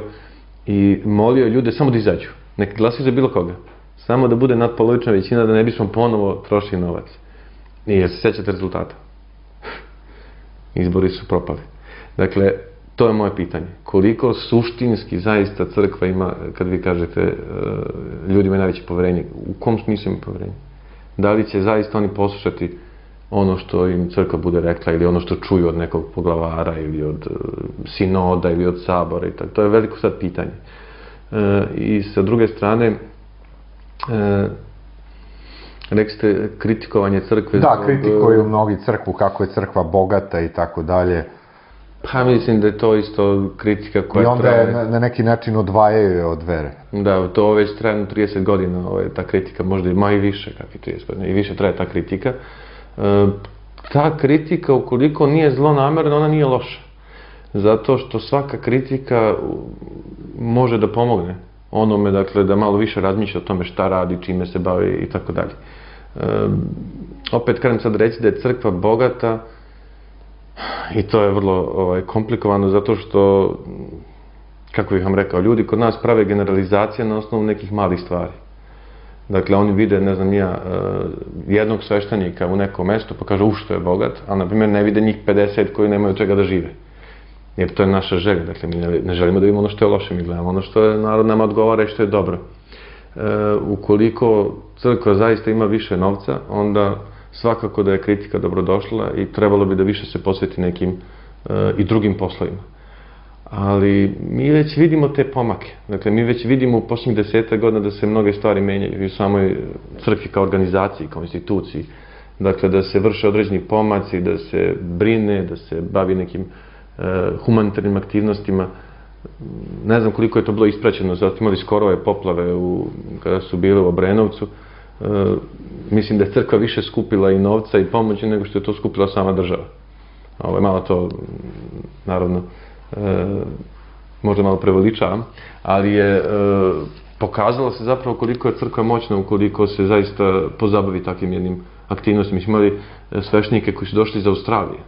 Speaker 3: i molio ljude samo da izađu. Neka glasaju za bilo koga. Samo da bude nadpolovična većina, da ne bismo ponovo trošili novac. I jel se sećate rezultata? Izbori su propali. Dakle, to je moje pitanje. Koliko suštinski zaista crkva ima, kad vi kažete, ljudi imaju najveće poverenje? U kom smislu imaju poverenje? Da li će zaista oni poslušati ono što im crkva bude rekla ili ono što čuju od nekog poglavara ili od sinoda ili od sabora i tako. To je veliko sad pitanje. I sa druge strane, rekli ste kritikovanje crkve.
Speaker 2: Da, kritikuju mnogi crkvu, kako je crkva bogata i tako dalje.
Speaker 3: Pa mislim da je to isto kritika koja
Speaker 2: traje. I onda je na neki način odvajaju je od vere.
Speaker 3: Da, to već traje 30 godina, ta kritika, možda ima i više, kakvi 30 godina, i više traje ta kritika. Ta kritika, ukoliko nije zlonamerna, ona nije loša. Zato što svaka kritika može da pomogne onome, dakle, da malo više razmišlja o tome šta radi, čime se bavi i tako dalje. Opet, kažem sad reći da je crkva bogata, i to je vrlo komplikovano, zato što, kako bih vam rekao, ljudi kod nas prave generalizacije na osnovu nekih malih stvari. Dakle, oni vide, ne znam ja, jednog sveštenika u nekom mestu pa kažu što je bogat, a na primjer ne vide njih 50 koji nemaju čega da žive. Jer to je naša želja, dakle mi ne želimo da vidimo ono što je loše, mi gledamo ono što je narod nama odgovara i što je dobro. Ukoliko crkva zaista ima više novca, onda svakako da je kritika dobrodošla i trebalo bi da više se posveti nekim i drugim poslovima. Ali mi već vidimo te pomake. Dakle, mi već vidimo u posljednjih 10 godina da se mnoge stvari menjaju i u samoj crkvi kao organizaciji, kao instituciji. Dakle, da se vrše određeni pomaci, da se brine, da se bavi nekim humanitarnim aktivnostima. Ne znam koliko je to bilo ispraćeno, zato imali skoro ove poplave kada su bile u Obrenovcu. Mislim da je crkva više skupila i novca i pomoći nego što je to skupila sama država. Malo to, naravno, možda malo preveličavam, ali je pokazalo se zapravo koliko je crkva moćna ukoliko se zaista pozabavi takvim jednim aktivnostima. Mi smo imali sveštenike koji su došli iz Australije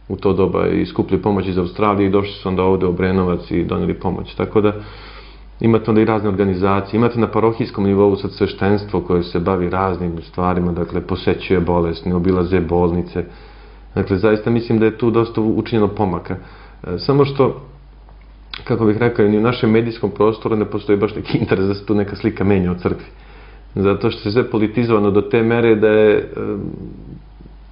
Speaker 3: u to doba i skupili pomoć iz Australije i došli su onda ovde u Obrenovac i doneli pomoć. Tako da imate onda i razne organizacije, imate na parohijskom nivou sad sveštenstvo koje se bavi raznim stvarima, dakle posećuje bolesne, obilaze bolnice. Dakle, zaista mislim da je tu dosta učinjeno pomaka. Samo što kako bih rekao, ni u našem medijskom prostoru ne postoji baš neki interes da se tu neka slika menja o crkvi. Zato što je sve politizovano do te mere da je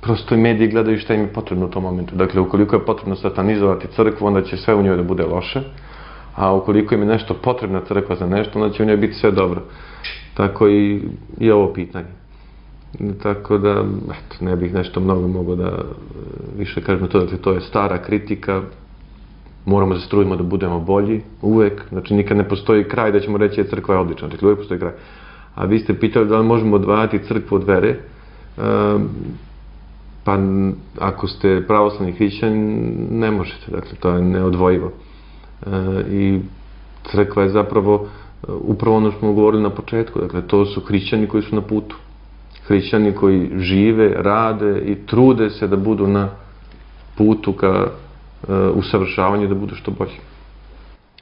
Speaker 3: prosto i mediji gledaju šta im je potrebno u tom momentu. Dakle, ukoliko je potrebno satanizovati crkvu, onda će sve u njoj da bude loše, a ukoliko im je nešto potrebna crkva za nešto, onda će u njoj biti sve dobro. Tako i ovo pitanje. Tako da, eto, ne bih nešto mnogo mogao da više kažem to, dakle, to je stara kritika, moramo da se trudimo da budemo bolji, uvek, znači nikad ne postoji kraj da ćemo reći je crkva je odlična, dakle uvek postoji kraj. A vi ste pitali da li možemo odvajati crkvu od vere, pa ako ste pravoslavni hrišćanin, ne možete, dakle to je neodvojivo. I crkva je zapravo upravo ono što smo govorili na početku, dakle to su hrišćani koji su na putu. Hrišćani koji žive, rade i trude se da budu na putu ka usavršavanju, da budu što bolji.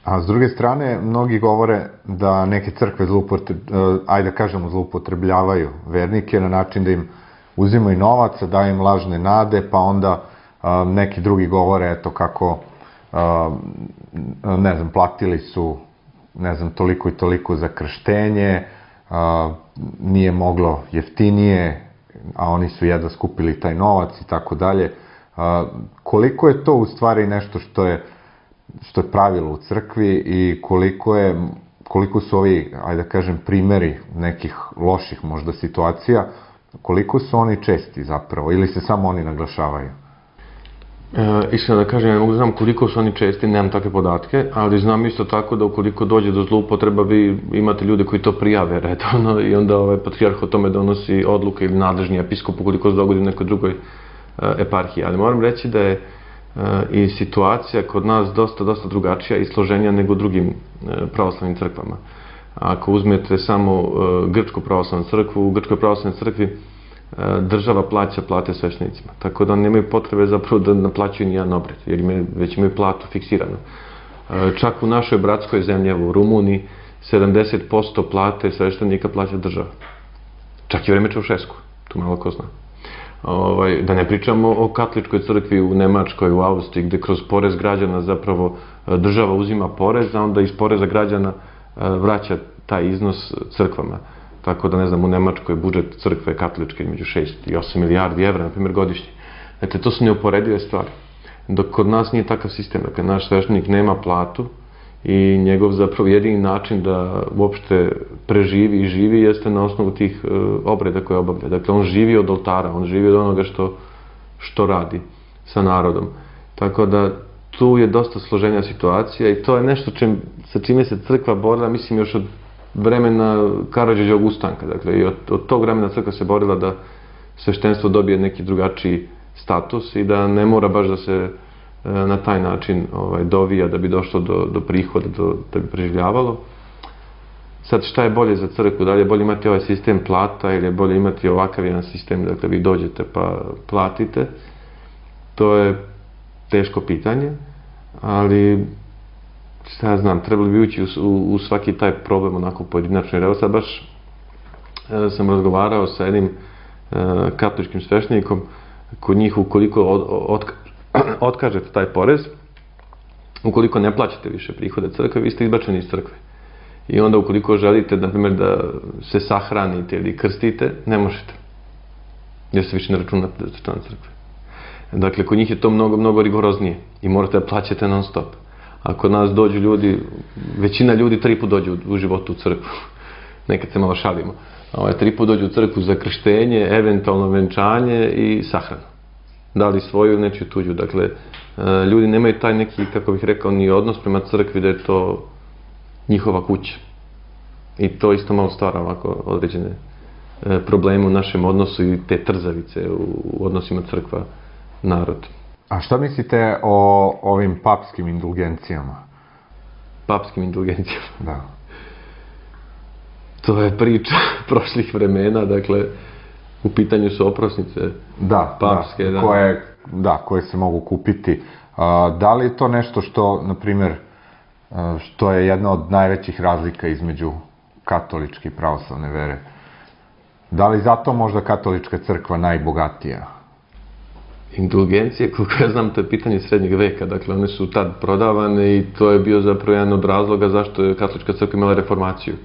Speaker 2: A s druge strane, mnogi govore da neke crkve zloupotrebljavaju vernike na način da im uzimaju novac, daju im lažne nade, pa onda neki drugi govore, eto kako, ne znam, platili su, ne znam, toliko i toliko za krštenje, nije moglo jeftinije, a oni su jedva skupili taj novac i tako dalje. Koliko je to u stvari nešto što je pravilo u crkvi i koliko su ovi, ajde da kažem, primeri nekih loših možda situacija, koliko su oni česti zapravo ili se samo oni naglašavaju?
Speaker 3: Iskreno da kažem, ne mogu da znam koliko su oni česti, nemam takve podatke, ali znam isto tako da ukoliko dođe do zloupotreba, vi imate ljude koji to prijave redovno i onda patrijarh o tome donosi odluke ili nadležni episkop ukoliko se dogodi u nekoj drugoj eparhiji. Ali moram reći da je i situacija kod nas dosta drugačija i složenija nego u drugim pravoslavnim crkvama. Ako uzmete samo Grčku pravoslavnu crkvu, u Grčkoj pravoslavnoj crkvi država plaća plate sveštenicima, tako da nemaju potrebe zapravo da naplaćuju nijedan obred, jer već imaju platu fiksiranu. Čak u našoj bratskoj zemlji, u Rumuniji, 70% plate sveštenika plaća država. Čak i vreme Čaušesku, tu malo ko zna. Da ne pričamo o katoličkoj crkvi u Nemačkoj, u Austriji, gde kroz porez građana zapravo država uzima porez, a onda iz poreza građana vraća taj iznos crkvama. Tako da, ne znam, u Nemačkoj budžet crkve katoličke između 6 i 8 milijardi evra, na primjer, godišnje. Dakle, to su neuporedive stvari. Dok kod nas nije takav sistem, dakle, naš sveštenik nema platu i njegov zapravo jedini način da uopšte preživi i živi jeste na osnovu tih obreda koje obavlja. Dakle, on živi od oltara, on živi od onoga što radi sa narodom. Tako da, tu je dosta složenja situacija i to je nešto sa čime se crkva borila, mislim, još od vremena Karađorđevog ustanka. Dakle, i od tog vremena crkva se borila da sveštenstvo dobije neki drugačiji status i da ne mora baš da se na taj način dovija da bi došlo do prihoda, da bi preživljavalo. Sad, šta je bolje za crkvu? Da li je bolje imati ovaj sistem plata ili je bolje imati ovakav jedan sistem, dakle, vi dođete pa platite? To je teško pitanje, ali šta ja znam, trebali bi ući u svaki taj problem onako pojedinačno. Jer evo sad baš sam razgovarao sa jednim katoličkim sveštenikom, kod njih ukoliko otkažete taj porez, ukoliko ne plaćate više prihode crkve, vi ste izbačeni iz crkve. I onda ukoliko želite, na primjer, da se sahranite ili krstite, ne možete. Jer se više ne računate da ste član crkve. Dakle, kod njih je to mnogo rigoroznije i morate da plaćate non stop. A kod nas dođu ljudi, većina ljudi 3 puta dođu u životu u crkvu. Nekad se malo šalimo. 3 puta dođu u crkvu za krštenje, eventualno venčanje i sahranu. Da li svoju, nečiju tuđu. Dakle, ljudi nemaju taj neki, kako bih rekao, ni odnos prema crkvi da je to njihova kuća. I to isto malo stvara ovako određene probleme u našem odnosu i te trzavice u odnosima crkva-narod.
Speaker 2: A šta mislite o ovim papskim indulgencijama?
Speaker 3: Papskim indulgencijama?
Speaker 2: Da.
Speaker 3: To je priča prošlih vremena, dakle, u pitanju su oprosnice papske.
Speaker 2: Koje se mogu kupiti. Da li je to nešto što, na primjer, što je jedna od najvećih razlika između katoličke i pravoslavne vere? Da li zato možda katolička crkva najbogatija?
Speaker 3: Indulgencije, koliko ja znam, to je pitanje srednjeg veka, dakle one su tad prodavane i to je bio zapravo jedan od razloga zašto je katolička crkva imala reformaciju.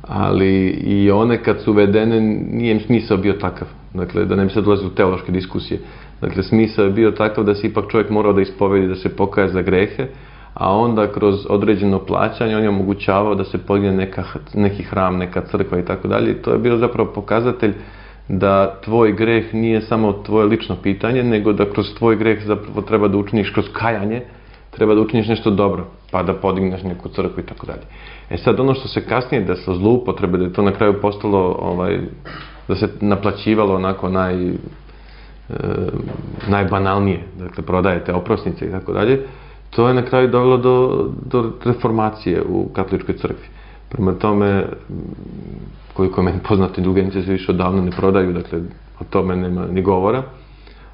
Speaker 3: Ali i one kad su uvedene, nije im smisao bio takav, dakle da ne bi se dolazili u teološke diskusije. Dakle, smisao je bio takav da se ipak čovjek morao da ispovedi, da se pokaje za grehe, a onda kroz određeno plaćanje on je omogućavao da se podigne neki hram, neka crkva i tako dalje. I to je bio zapravo pokazatelj da tvoj greh nije samo tvoje lično pitanje, nego da kroz tvoj greh zapravo treba da učiniš, kroz kajanje, treba da učiniš nešto dobro, pa da podigneš neku crkvu i tako dalje. Sad ono što se kasnije desilo, zloupotrebe, da je to na kraju postalo, da se naplaćivalo onako najbanalnije, dakle prodajete oprosnice i tako dalje, to je na kraju dovelo do reformacije u katoličkoj crkvi. Prema tome, koliko je meni poznato, indulgencije se više odavno ne prodaju, dakle o tome nema ni govora,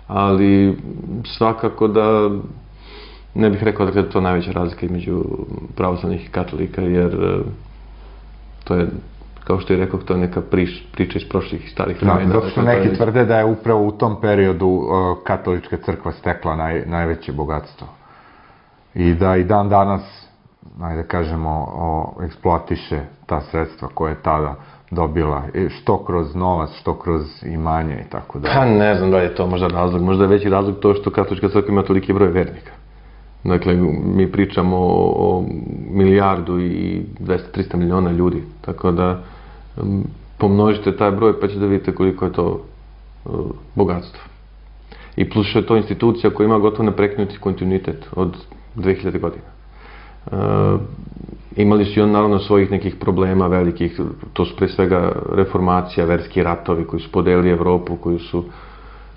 Speaker 3: ali svakako da ne bih rekao da je to najveća razlika između pravoslavnih i katolika, jer to je, kao što je rekao, to je neka priča iz prošlih i starih vremena.
Speaker 2: Zato što neki tvrde da je upravo u tom periodu katolička crkva stekla najveće bogatstvo. I da i dan danas, da kažemo, eksploatiše ta sredstva koje je tada dobila, što kroz novac, što kroz imanje i tako dalje.
Speaker 3: Pa ne znam da je to možda razlog. Možda je veći razlog to što katolička crkva ima toliki broj vernika. Dakle, mi pričamo o 1.200.000.000 miliona ljudi, tako da pomnožite taj broj pa ćete da vidite koliko je to bogatstvo. I plus što je to institucija koja ima gotovo neprekinuti kontinuitet od 2000 godina. Imali su i on naravno svojih nekih problema velikih, to su pre svega reformacija, verski ratovi koji su podelili Evropu, koji su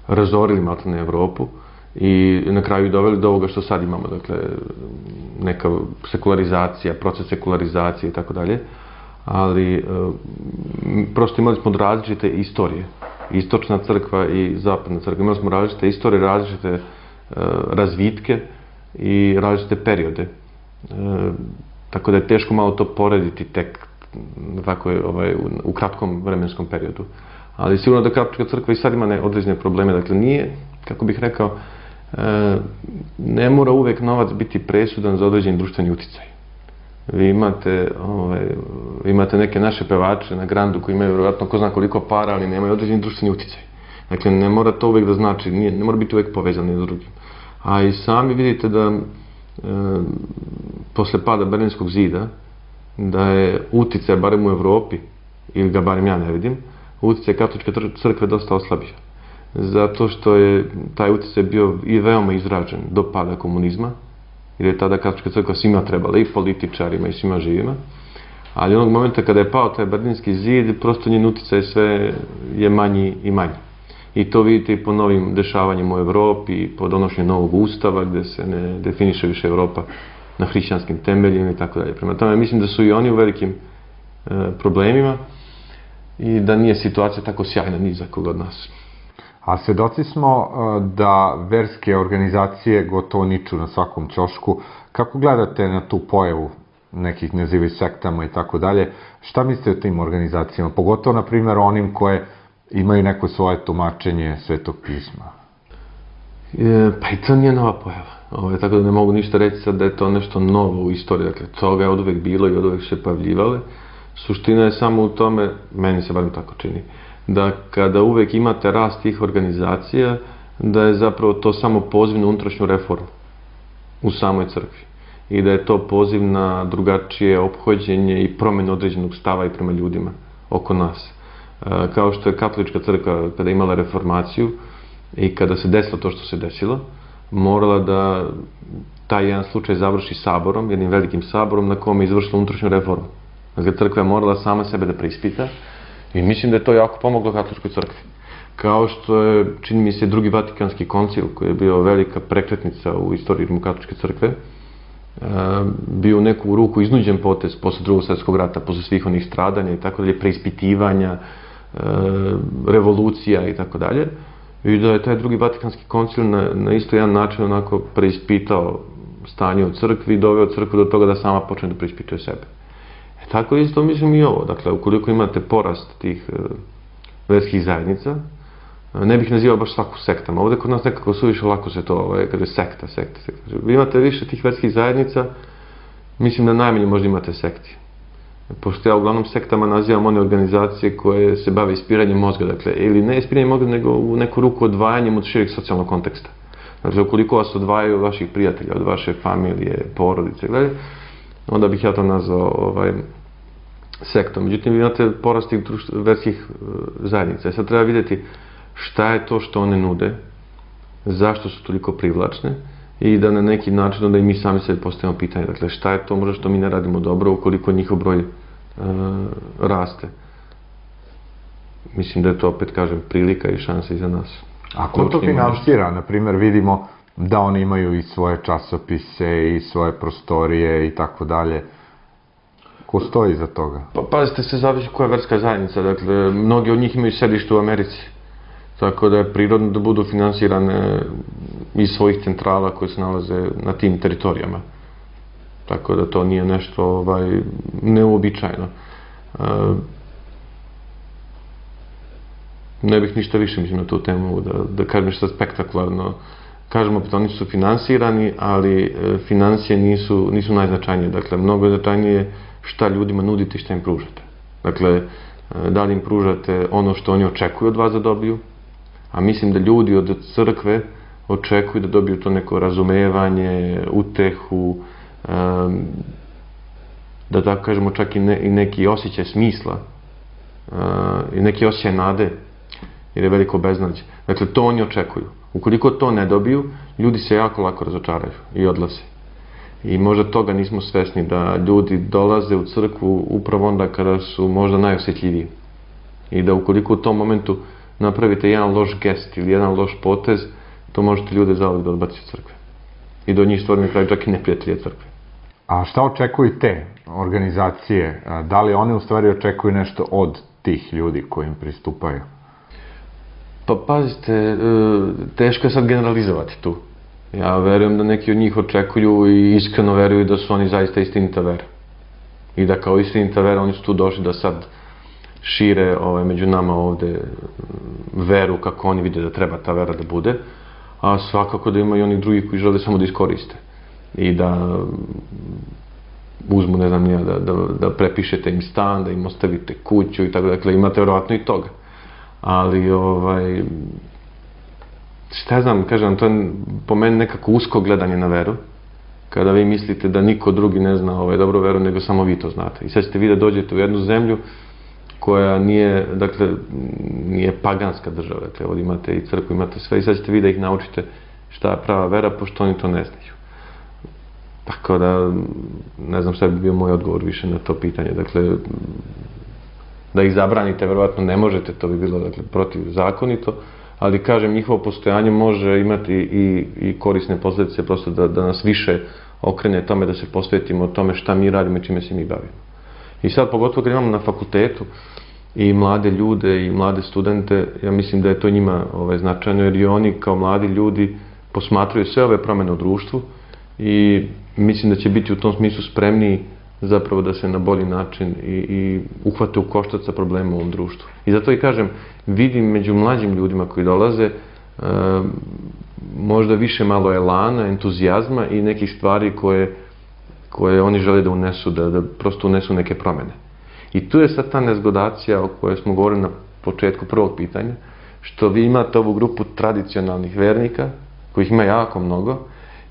Speaker 3: razorili maltene Evropu i na kraju doveli do ovoga što sad imamo, dakle neka sekularizacija, proces sekularizacije i tako dalje, ali prosto imali smo različite istorije, istočna crkva i zapadna crkva, imali smo različite istorije, različite razvitke i različite periode. Tako da je teško malo to porediti tek tako u kratkom vremenskom periodu. Ali sigurno da katolička crkva i sad ima određene probleme. Dakle, nije, kako bih rekao, ne mora uvek novac biti presudan za određeni društveni uticaj. Vi imate neke naše pevače na Grandu koji imaju vjerojatno ko zna koliko para, ali nemaju određeni društveni uticaj. Dakle, ne mora to uvek da znači, ne mora biti uvek povezano jedno s drugim. A i sami vidite da posle pada Berlinskog zida, da je uticaj, barem u Evropi, ili ga barem ja ne vidim, uticaj katoličke crkve dosta oslabio. Zato što je taj uticaj bio i veoma izražen do pada komunizma, jer je tada katolička crkva svima trebala, i političarima i svima živima. Ali onog momenta kada je pao taj Berlinski zid, prosto njen uticaj sve je manji i manji. I to vidite i po novim dešavanjima u Evropi, po donošenju novog ustava, gde se ne definiše više Evropa na hrišćanskim temeljima i tako dalje. Prema tome, mislim da su i oni u velikim problemima i da nije situacija tako sjajna ni za koga od nas.
Speaker 2: A svedoci smo da verske organizacije gotovo niču na svakom ćošku. Kako gledate na tu pojavu nekih nazivaju sektama i tako dalje? Šta mislite o tim organizacijama? Pogotovo, na primjer, onim koje imaju neko svoje tumačenje Svetog pisma.
Speaker 3: Pa i to nije nova pojava. Tako da ne mogu ništa reći sad da je to nešto novo u istoriji. Dakle, toga je od uvek bilo i od uvek se pojavljivale. Suština je samo u tome, meni se barem tako čini, da kada uvek imate rast tih organizacija, da je zapravo to samo poziv na unutrašnju reformu u samoj crkvi. I da je to poziv na drugačije ophođenje i promjenu određenog stava i prema ljudima oko nas. Kao što je katolička crkva kada je imala reformaciju i kada se desilo to što se desilo, morala da taj jedan slučaj završi saborom, jednim velikim saborom na kome je izvršila unutrašnju reformu. Dakle, crkva je morala sama sebe da preispita i mislim da je to jako pomoglo katoličkoj crkvi. Kao što je, čini mi se, drugi Vatikanski koncil, koji je bio velika prekretnica u istoriji katoličke crkve, bio u neku ruku iznuđen potez posle Drugog svjetskog rata, posle svih onih stradanja i tako dalje, preispitivanja, revolucija i tako dalje. I da je taj drugi Vatikanski koncil na isto jedan način onako preispitao stanje u crkvi i doveo crkvu do toga da sama počne da preispituje sebe. Tako isto mislim i ovo. Dakle, ukoliko imate porast tih verskih zajednica, Ne bih nazivao baš svaku sektama. Ovde kod nas nekako suviše lako se to, kada je sekta. Vi imate više tih verskih zajednica, mislim da najmanje možda imate sekti. Pošto ja uglavnom sektama nazivam one organizacije koje se bave ispiranjem mozga, dakle, ili ne ispiranjem mozga, nego u neku ruku odvajanjem od šireg socijalnog konteksta. Dakle, ukoliko vas odvajaju od vaših prijatelja, od vaše familije, porodice, onda bih ja to nazvao sektom. Međutim, vi imate porast tih verskih zajednica. Sad treba vidjeti šta je to što one nude, zašto su toliko privlačne i da na neki način onda i mi sami sebi postavimo pitanje. Dakle, šta je to možda što mi ne radimo dobro ukoliko njihov broj raste. Mislim da je to, opet kažem, prilika i šansa i za nas.
Speaker 2: A ko to finansira? Naprimjer, vidimo da oni imaju i svoje časopise i svoje prostorije i tako dalje. Ko stoji iza toga?
Speaker 3: Pa pazite, sve zavisi koja je verska zajednica. Dakle, mnogi od njih imaju sedište u Americi. Tako da je prirodno da budu finansirane iz svojih centrala koje se nalaze na tim teritorijama. Tako da to nije nešto neuobičajeno. Ne bih ništa više, mislim, na tu temu da kažem nešto spektakularno. Kažemo opet, oni su finansirani, ali financije nisu najznačajnije. Dakle, mnogo je značajnije šta ljudima nudite i šta im pružate. Dakle, da li im pružate ono što oni očekuju od vas da dobiju, a mislim da ljudi od crkve očekuju da dobiju to neko razumevanje, utehu, da tako kažemo čak i neki osjećaj smisla i neki osjećaj nade, jer je veliko beznađe. Dakle, to oni očekuju. Ukoliko to ne dobiju, ljudi se jako lako razočaraju i odlaze. I možda toga nismo svesni, da ljudi dolaze u crkvu upravo onda kada su možda najosjetljiviji. I da ukoliko u tom momentu napravite jedan loš gest ili jedan loš potez, to možete ljude zauvek da odbaciti od crkve. I do njih stvoriti na kraju čak i neprijatelje crkve.
Speaker 2: A šta očekuju te organizacije? Da li one u stvari očekuju nešto od tih ljudi koji im pristupaju?
Speaker 3: Pa pazite, teško je sad generalizovati tu. Ja verujem da neki od njih očekuju i iskreno veruju da su oni zaista istinita vera. I da kao istinita vera oni su tu došli da sad šire među nama ovde veru kako oni vide da treba ta vera da bude, a svakako da ima i onih drugih koji žele samo da iskoriste i da uzmu, ne znam nija, da prepišete im stan, da im ostavite kuću i tako, dakle imate verovatno i toga. Ali, šta znam, kažem, to je po meni nekako usko gledanje na veru, kada vi mislite da niko drugi ne zna dobro veru, nego samo vi to znate. I sad ćete vi da dođete u jednu zemlju koja nije, dakle, nije paganska država, dakle, ovdje imate i crkvu, imate sve, i sad ćete vi da ih naučite šta je prava vera, pošto oni to ne znaju. Tako da, ne znam šta bi bio moj odgovor više na to pitanje, dakle, da ih zabranite, verovatno ne možete, to bi bilo, dakle, protivzakonito, ali, kažem, njihovo postojanje može imati i korisne posljedice, prosto da nas više okrene tome, da se posvetimo tome šta mi radimo i čime se mi bavimo. I sad, pogotovo kad imamo na fakultetu i mlade ljude i mlade studente, ja mislim da je to njima značajno, jer i oni kao mladi ljudi posmatraju sve ove promene u društvu i mislim da će biti u tom smislu spremniji zapravo da se na bolji način i uhvate u koštac sa problemom u ovom društvu. I zato i kažem, vidim među mlađim ljudima koji dolaze možda više malo elana, entuzijazma i nekih stvari koje oni žele da unesu, da prosto unesu neke promene. I tu je sad ta nezgodacija o kojoj smo govorili na početku prvog pitanja, što vi imate ovu grupu tradicionalnih vernika, kojih ima jako mnogo,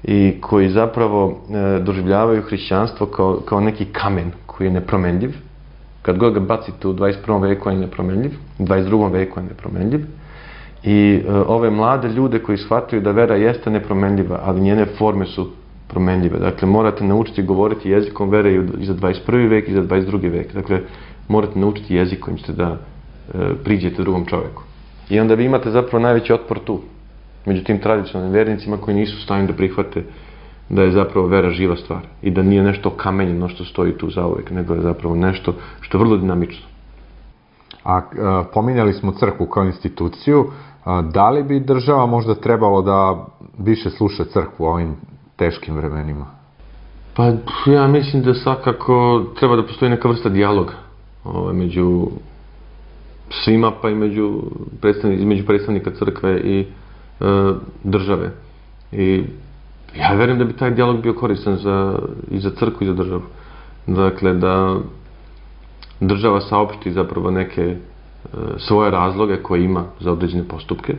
Speaker 3: i koji zapravo doživljavaju hrišćanstvo kao neki kamen koji je nepromenljiv. Kad god ga bacite u 21. veku on je nepromenljiv, u 22. veku je nepromenljiv. I ove mlade ljude koji shvataju da vera jeste nepromenljiva, ali njene forme su promenljive. Dakle, morate naučiti govoriti jezikom vere i za 21. vek i za 22. vek. Dakle, morate naučiti jezik kojim ćete da priđete drugom čoveku. I onda vi imate zapravo najveći otpor tu, među tim tradicionalnim vernicima koji nisu u stanju da prihvate da je zapravo vera živa stvar i da nije nešto kamenjeno što stoji tu zauvek, nego je zapravo nešto što je vrlo dinamično.
Speaker 2: A pominjali smo crkvu kao instituciju, da li bi država možda trebalo da više sluša crkvu u ovim teškim vremenima?
Speaker 3: Pa ja mislim da svakako treba da postoji neka vrsta dijaloga među svima, pa i između predstavnika crkve i države. I ja verujem da bi taj dijalog bio koristan i za crkvu i za državu. Dakle, da država saopšti zapravo neke svoje razloge koje ima za određene postupke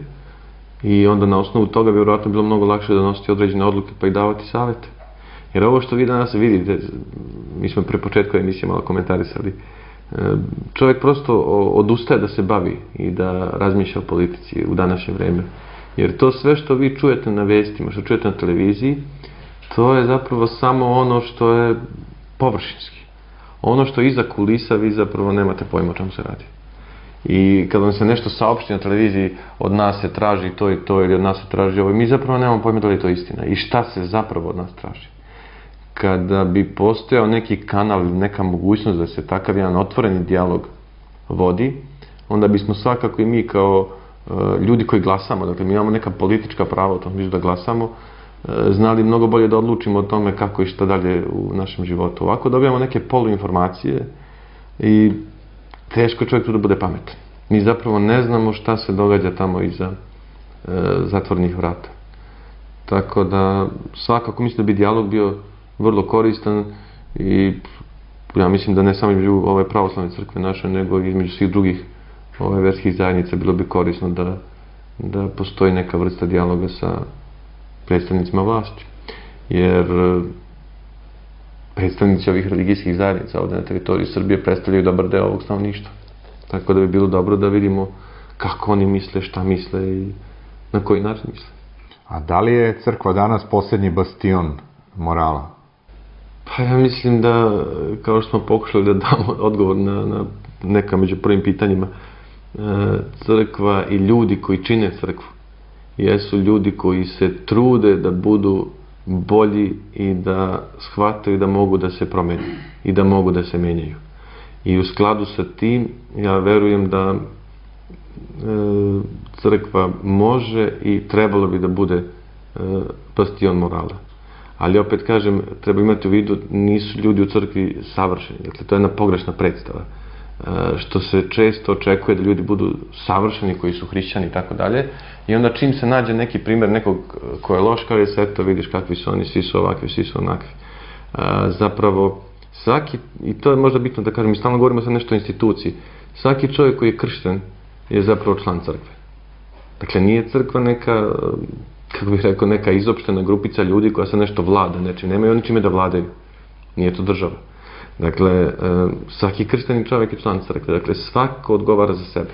Speaker 3: i onda na osnovu toga bi vjerojatno bilo mnogo lakše donositi određene odluke pa i davati savete. Jer ovo što vi danas vidite, mi smo pre početka emisije malo komentarisali, čovjek prosto odustaje da se bavi i da razmišlja o politici u današnje vreme. Jer to sve što vi čujete na vestima, što čujete na televiziji, to je zapravo samo ono što je površinski. Ono što je iza kulisa, vi zapravo nemate pojma o čemu se radi. I kad vam se nešto saopšti na televiziji, od nas se traži to i to, ili od nas se traži ovo, mi zapravo nemamo pojma da li je to istina i šta se zapravo od nas traži. Kada bi postojao neki kanal ili neka mogućnost da se takav jedan otvoreni dijalog vodi, onda bismo svakako i mi kao ljudi koji glasamo, dakle mi imamo neka politička prava u tom smislu da glasamo, znali mnogo bolje da odlučimo o tome kako i šta dalje u našem životu. Ovako dobijamo neke poluinformacije i teško je čovjek tu da bude pametan. Mi zapravo ne znamo šta se događa tamo iza zatvornih vrata. Tako da svakako mislim da bi dijalog bio vrlo koristan i ja mislim da ne samo između ove pravoslavne crkve naše, nego i između svih drugih verskih zajednica bilo bi korisno da postoji neka vrsta dijaloga sa predstavnicima vlasti. Jer predstavnici ovih religijskih zajednica ovdje na teritoriji Srbije predstavljaju dobar deo ovog stanovništva. Tako da bi bilo dobro da vidimo kako oni misle, šta misle i na koji način misle.
Speaker 2: A da li je crkva danas posljednji bastion morala?
Speaker 3: Pa ja mislim da, kao što smo pokušali da damo odgovor na neka među prvim pitanjima, crkva i ljudi koji čine crkvu jesu ljudi koji se trude da budu bolji i da shvataju da mogu da se promene i da mogu da se menjaju. I u skladu sa tim ja verujem da crkva može i trebalo bi da bude bastion morala. Ali opet kažem, treba imati u vidu, nisu ljudi u crkvi savršeni. Dakle, to je jedna pogrešna predstava. Što se često očekuje da ljudi budu savršeni, koji su hrišćani i tako dalje. I onda čim se nađe neki primjer nekog ko je loš, kao je sve to, vidiš kakvi su oni, svi su ovakvi, svi su onakvi. Zapravo, svaki, i to je možda bitno da kažem, mi stalno govorimo sad nešto o instituciji, svaki čovjek koji je kršten je zapravo član crkve. Dakle, nije crkva neka, kako bih rekao, neka izopštena grupica ljudi koja se nešto vlada nečim, nemaju oni čime da vladaju. Nije to država. Dakle, svaki kršteni čovjek je član crkve. Dakle, svako odgovara za sebe.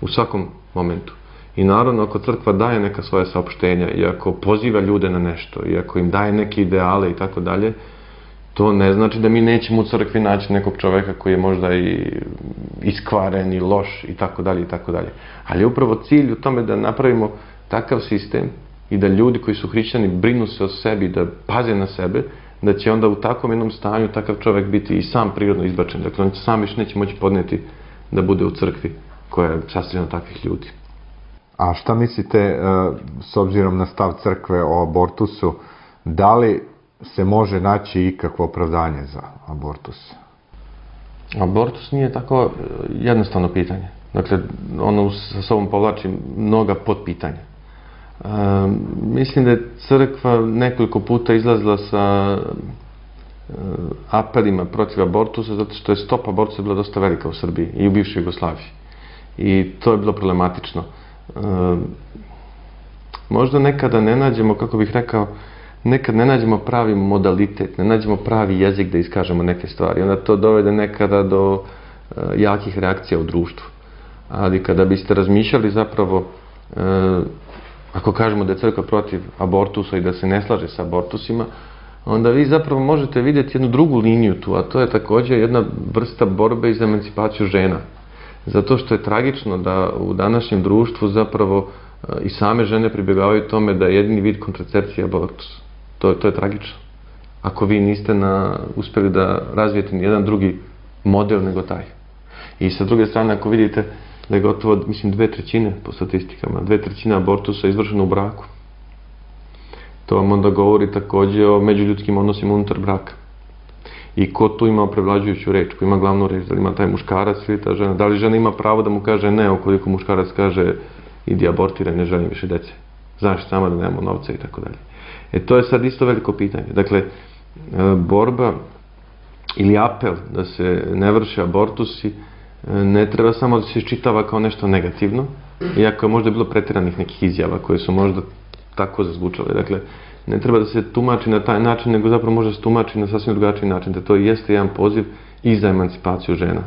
Speaker 3: U svakom momentu. I naravno, ako crkva daje neka svoja saopštenja i ako poziva ljude na nešto i ako im daje neke ideale i tako dalje, to ne znači da mi nećemo u crkvi naći nekog čovjeka koji je možda i iskvaren i loš i tako dalje i tako dalje. Ali je upravo cilj u tome da napravimo takav sistem i da ljudi koji su hrišćani brinu se o sebi, da paze na sebe, da će onda u takvom jednom stanju takav čovjek biti i sam prirodno izbačen. Dakle, on sam više neće moći podnijeti da bude u crkvi koja je sastavljena od takvih ljudi.
Speaker 2: A šta mislite, s obzirom na stav crkve o abortusu, da li se može naći ikakvo opravdanje za abortus?
Speaker 3: Abortus nije tako jednostavno pitanje. Dakle, ono sa sobom povlači mnoga potpitanja. Mislim da je crkva nekoliko puta izlazila sa apelima protiv abortusa zato što je stopa abortusa bila dosta velika u Srbiji i u bivšoj Jugoslaviji. I to je bilo problematično. Možda nekada ne nađemo, kako bih rekao, nekad ne nađemo pravi modalitet, ne nađemo pravi jezik da iskažemo neke stvari. Onda to dovede nekada do jakih reakcija u društvu. Ali kada biste razmišljali zapravo, ako kažemo da je crkva protiv abortusa i da se ne slaže sa abortusima, onda vi zapravo možete vidjeti jednu drugu liniju tu, a to je također jedna vrsta borbe za emancipaciju žena. Zato što je tragično da u današnjem društvu zapravo i same žene pribjegavaju tome da je jedini vid kontracepcije abortus. To je tragično. Ako vi niste uspjeli da razvijete ni jedan drugi model nego taj. I sa druge strane, ako vidite da je gotovo, mislim, 2/3 po statistikama, 2/3 abortusa je izvršeno u braku. To vam onda govori također o međuljudskim odnosima unutar braka. I ko tu ima prevlađujuću reč, ko ima glavnu reč, da li ima taj muškarac ili ta žena, da li žena ima pravo da mu kaže ne, ukoliko muškarac kaže idi abortiraj, ne želim više dece, znaš sama da nemamo novca i tako dalje. To je sad isto veliko pitanje. Dakle, borba ili apel da se ne vrše abortusi ne treba samo da se iščitava kao nešto negativno, iako je možda bilo pretjeranih nekih izjava koje su možda tako zazvučale. Dakle, ne treba da se tumači na taj način, nego zapravo može se tumači na sasvim drugačiji način, da to jeste jedan poziv i za emancipaciju žena.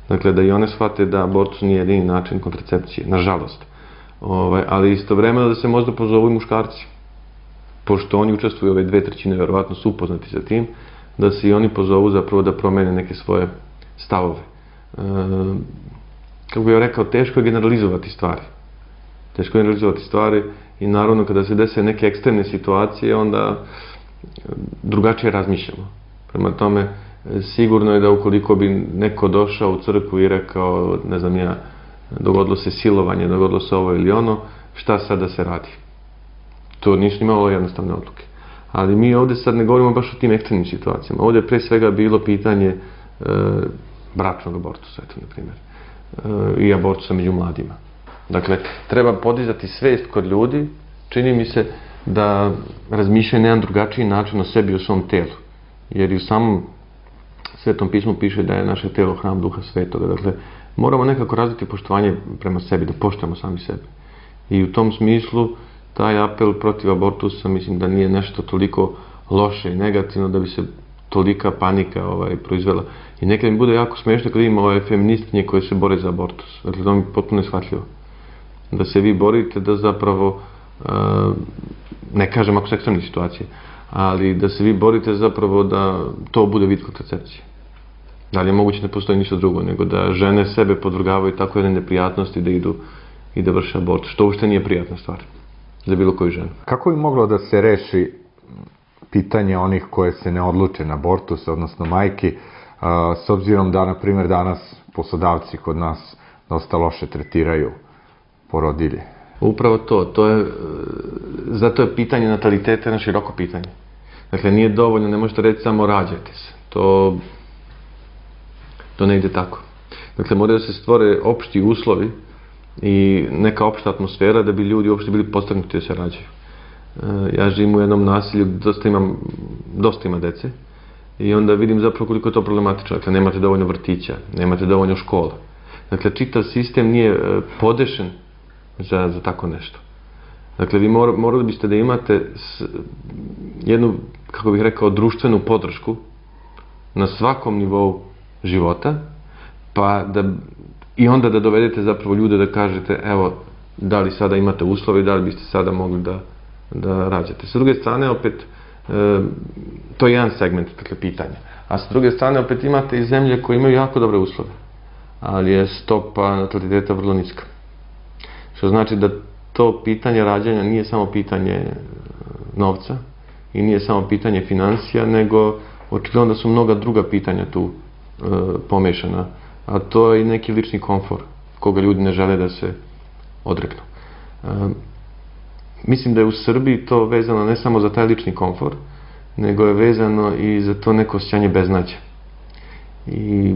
Speaker 3: Dakle, da i one shvate da abortus nije jedini način kontracepcije, nažalost. Ali istovremeno da se možda pozovu i muškarci, pošto oni učestvuju ove 2/3, verovatno su upoznati sa tim, da se i oni pozovu zapravo da promene neke svoje stavove. Kako bih rekao, teško je generalizovati stvari. Teško je generalizovati stvari i naravno kada se dese neke ekstremne situacije, onda drugačije razmišljamo. Prema tome, sigurno je da ukoliko bi neko došao u crkvu i rekao, ne znam ja, dogodilo se silovanje, dogodilo se ovo ili ono, šta sad da se radi? To nisu nimalo jednostavne odluke. Ali mi ovdje sad ne govorimo baš o tim ekstremnim situacijama. Ovdje je pre svega bilo pitanje bračnog abortusa, eto, na primjer, i abortusa među mladima. Dakle, treba podizati svest kod ljudi, čini mi se da razmišljaju na jedan drugačiji način o sebi i o svom telu. Jer i u samom Svetom pismu piše da je naše telo hram Duha Svetoga. Dakle, moramo nekako razviti poštovanje prema sebi, da poštujemo sami sebe. I u tom smislu, taj apel protiv abortusa mislim da nije nešto toliko loše i negativno da bi se tolika panika proizvela. I nekad mi bude jako smiješno kad ima ove feministinje koje se bore za abortus. Dakle, to mi je potpuno neshvatljivo. Da se vi borite da zapravo, ne kažem ako su ekstremne situacije, ali da se vi borite zapravo da to bude vid kontracepcije. Da li je moguće da postoji ništa drugo, nego da žene sebe podvrgavaju tako jedne neprijatnosti da idu i da vrše abortus, što uopšte nije prijatna stvar za bilo koju ženu.
Speaker 2: Kako bi moglo da se reši pitanje onih koje se ne odluče na abortus, odnosno majki, s obzirom da, na primjer, danas poslodavci kod nas dosta loše tretiraju porodilje?
Speaker 3: Upravo zato je pitanje nataliteta na široko pitanje. Dakle, nije dovoljno, ne možete reći samo rađajte se. To ne ide tako. Dakle, moraju da se stvore opšti uslovi i neka opšta atmosfera da bi ljudi uopšte bili podstaknuti da se rađaju. Ja živim u jednom naselju gdje dosta ima dece i onda vidim zapravo koliko je to problematično. Dakle, nemate dovoljno vrtića, nemate dovoljno škola. Dakle, čitav sistem nije podešen za tako nešto. Dakle, vi morali biste da imate jednu, kako bih rekao, društvenu podršku na svakom nivou života, i onda da dovedete zapravo ljude da kažete, evo, da li sada imate uslove i da li biste sada mogli da rađate. S druge strane, opet, to je jedan segment pitanja. A s druge strane, opet imate i zemlje koje imaju jako dobre uslove, ali je stopa nataliteta vrlo niska. Što znači da to pitanje rađanja nije samo pitanje novca i nije samo pitanje financija, nego očigledno da su mnoga druga pitanja tu pomešana, a to je i neki lični komfor koga ljudi ne žele da se odreknu. Mislim da je u Srbiji to vezano ne samo za taj lični komfor, nego je vezano i za to neko osjećanje beznađa. I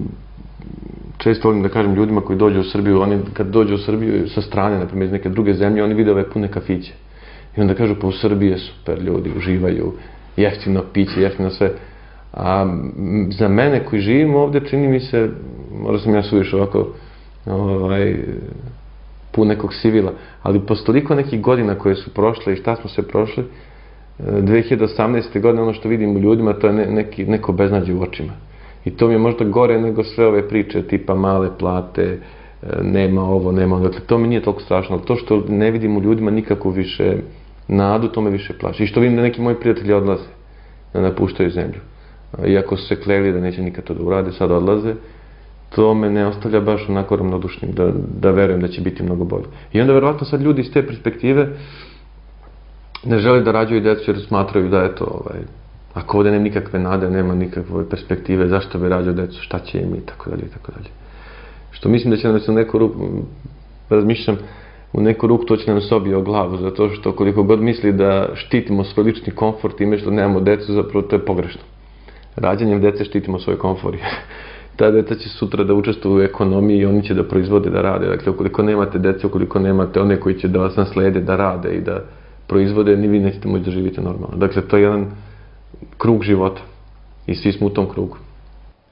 Speaker 3: često volim da kažem ljudima koji dođu u Srbiju, oni kad dođu u Srbiju sa strane, na primjer iz neke druge zemlje, oni vide ove pune kafiće. I onda kažu, pa u Srbiji je super, ljudi uživaju, jeftino piće, jeftino sve. A za mene koji živim ovdje, čini mi se, možda sam ja suviše ovako pun nekog sivila, ali posle toliko nekih godina koje su prošle i šta smo se prošli, 2018. godine ono što vidim u ljudima, to je neko beznađe u očima. I to mi je možda gore nego sve ove priče, tipa male plate, nema ovo, nema ono. Dakle, to mi nije toliko strašno, ali to što ne vidim u ljudima nikako više nadu, to me više plaši. I što vidim da neki moji prijatelji odlaze, da napuštaju zemlju. Iako su se kleli da neće nikad to da urade, sad odlaze, to me ne ostavlja baš onako ravnodušnim, da verujem da će biti mnogo bolje. I onda verovatno sad ljudi iz te perspektive ne žele da rađaju djecu jer smatraju da je to, ako ovdje nema nikakve nade, nema nikakve perspektive, zašto bi rađao djecu, šta će im i tako dalje, i tako dalje. Što mislim da će nam se u neku ruku, razmišljam, u neku ruku to će nam se obije o glavu, zato što koliko god misli da štitimo svoj lični komfort time što nemamo djecu, zapravo to je pogrešno. Rađanjem dece štitimo svoj komfor. Ta deca će sutra da učestvuju u ekonomiji i oni će da proizvode, da rade. Dakle, ukoliko nemate dece, ukoliko nemate one koji će da vas naslede, da rade i da proizvode, ni vi nećete moći da živite normalno. Dakle, to je jedan krug života i svi smo u tom krugu.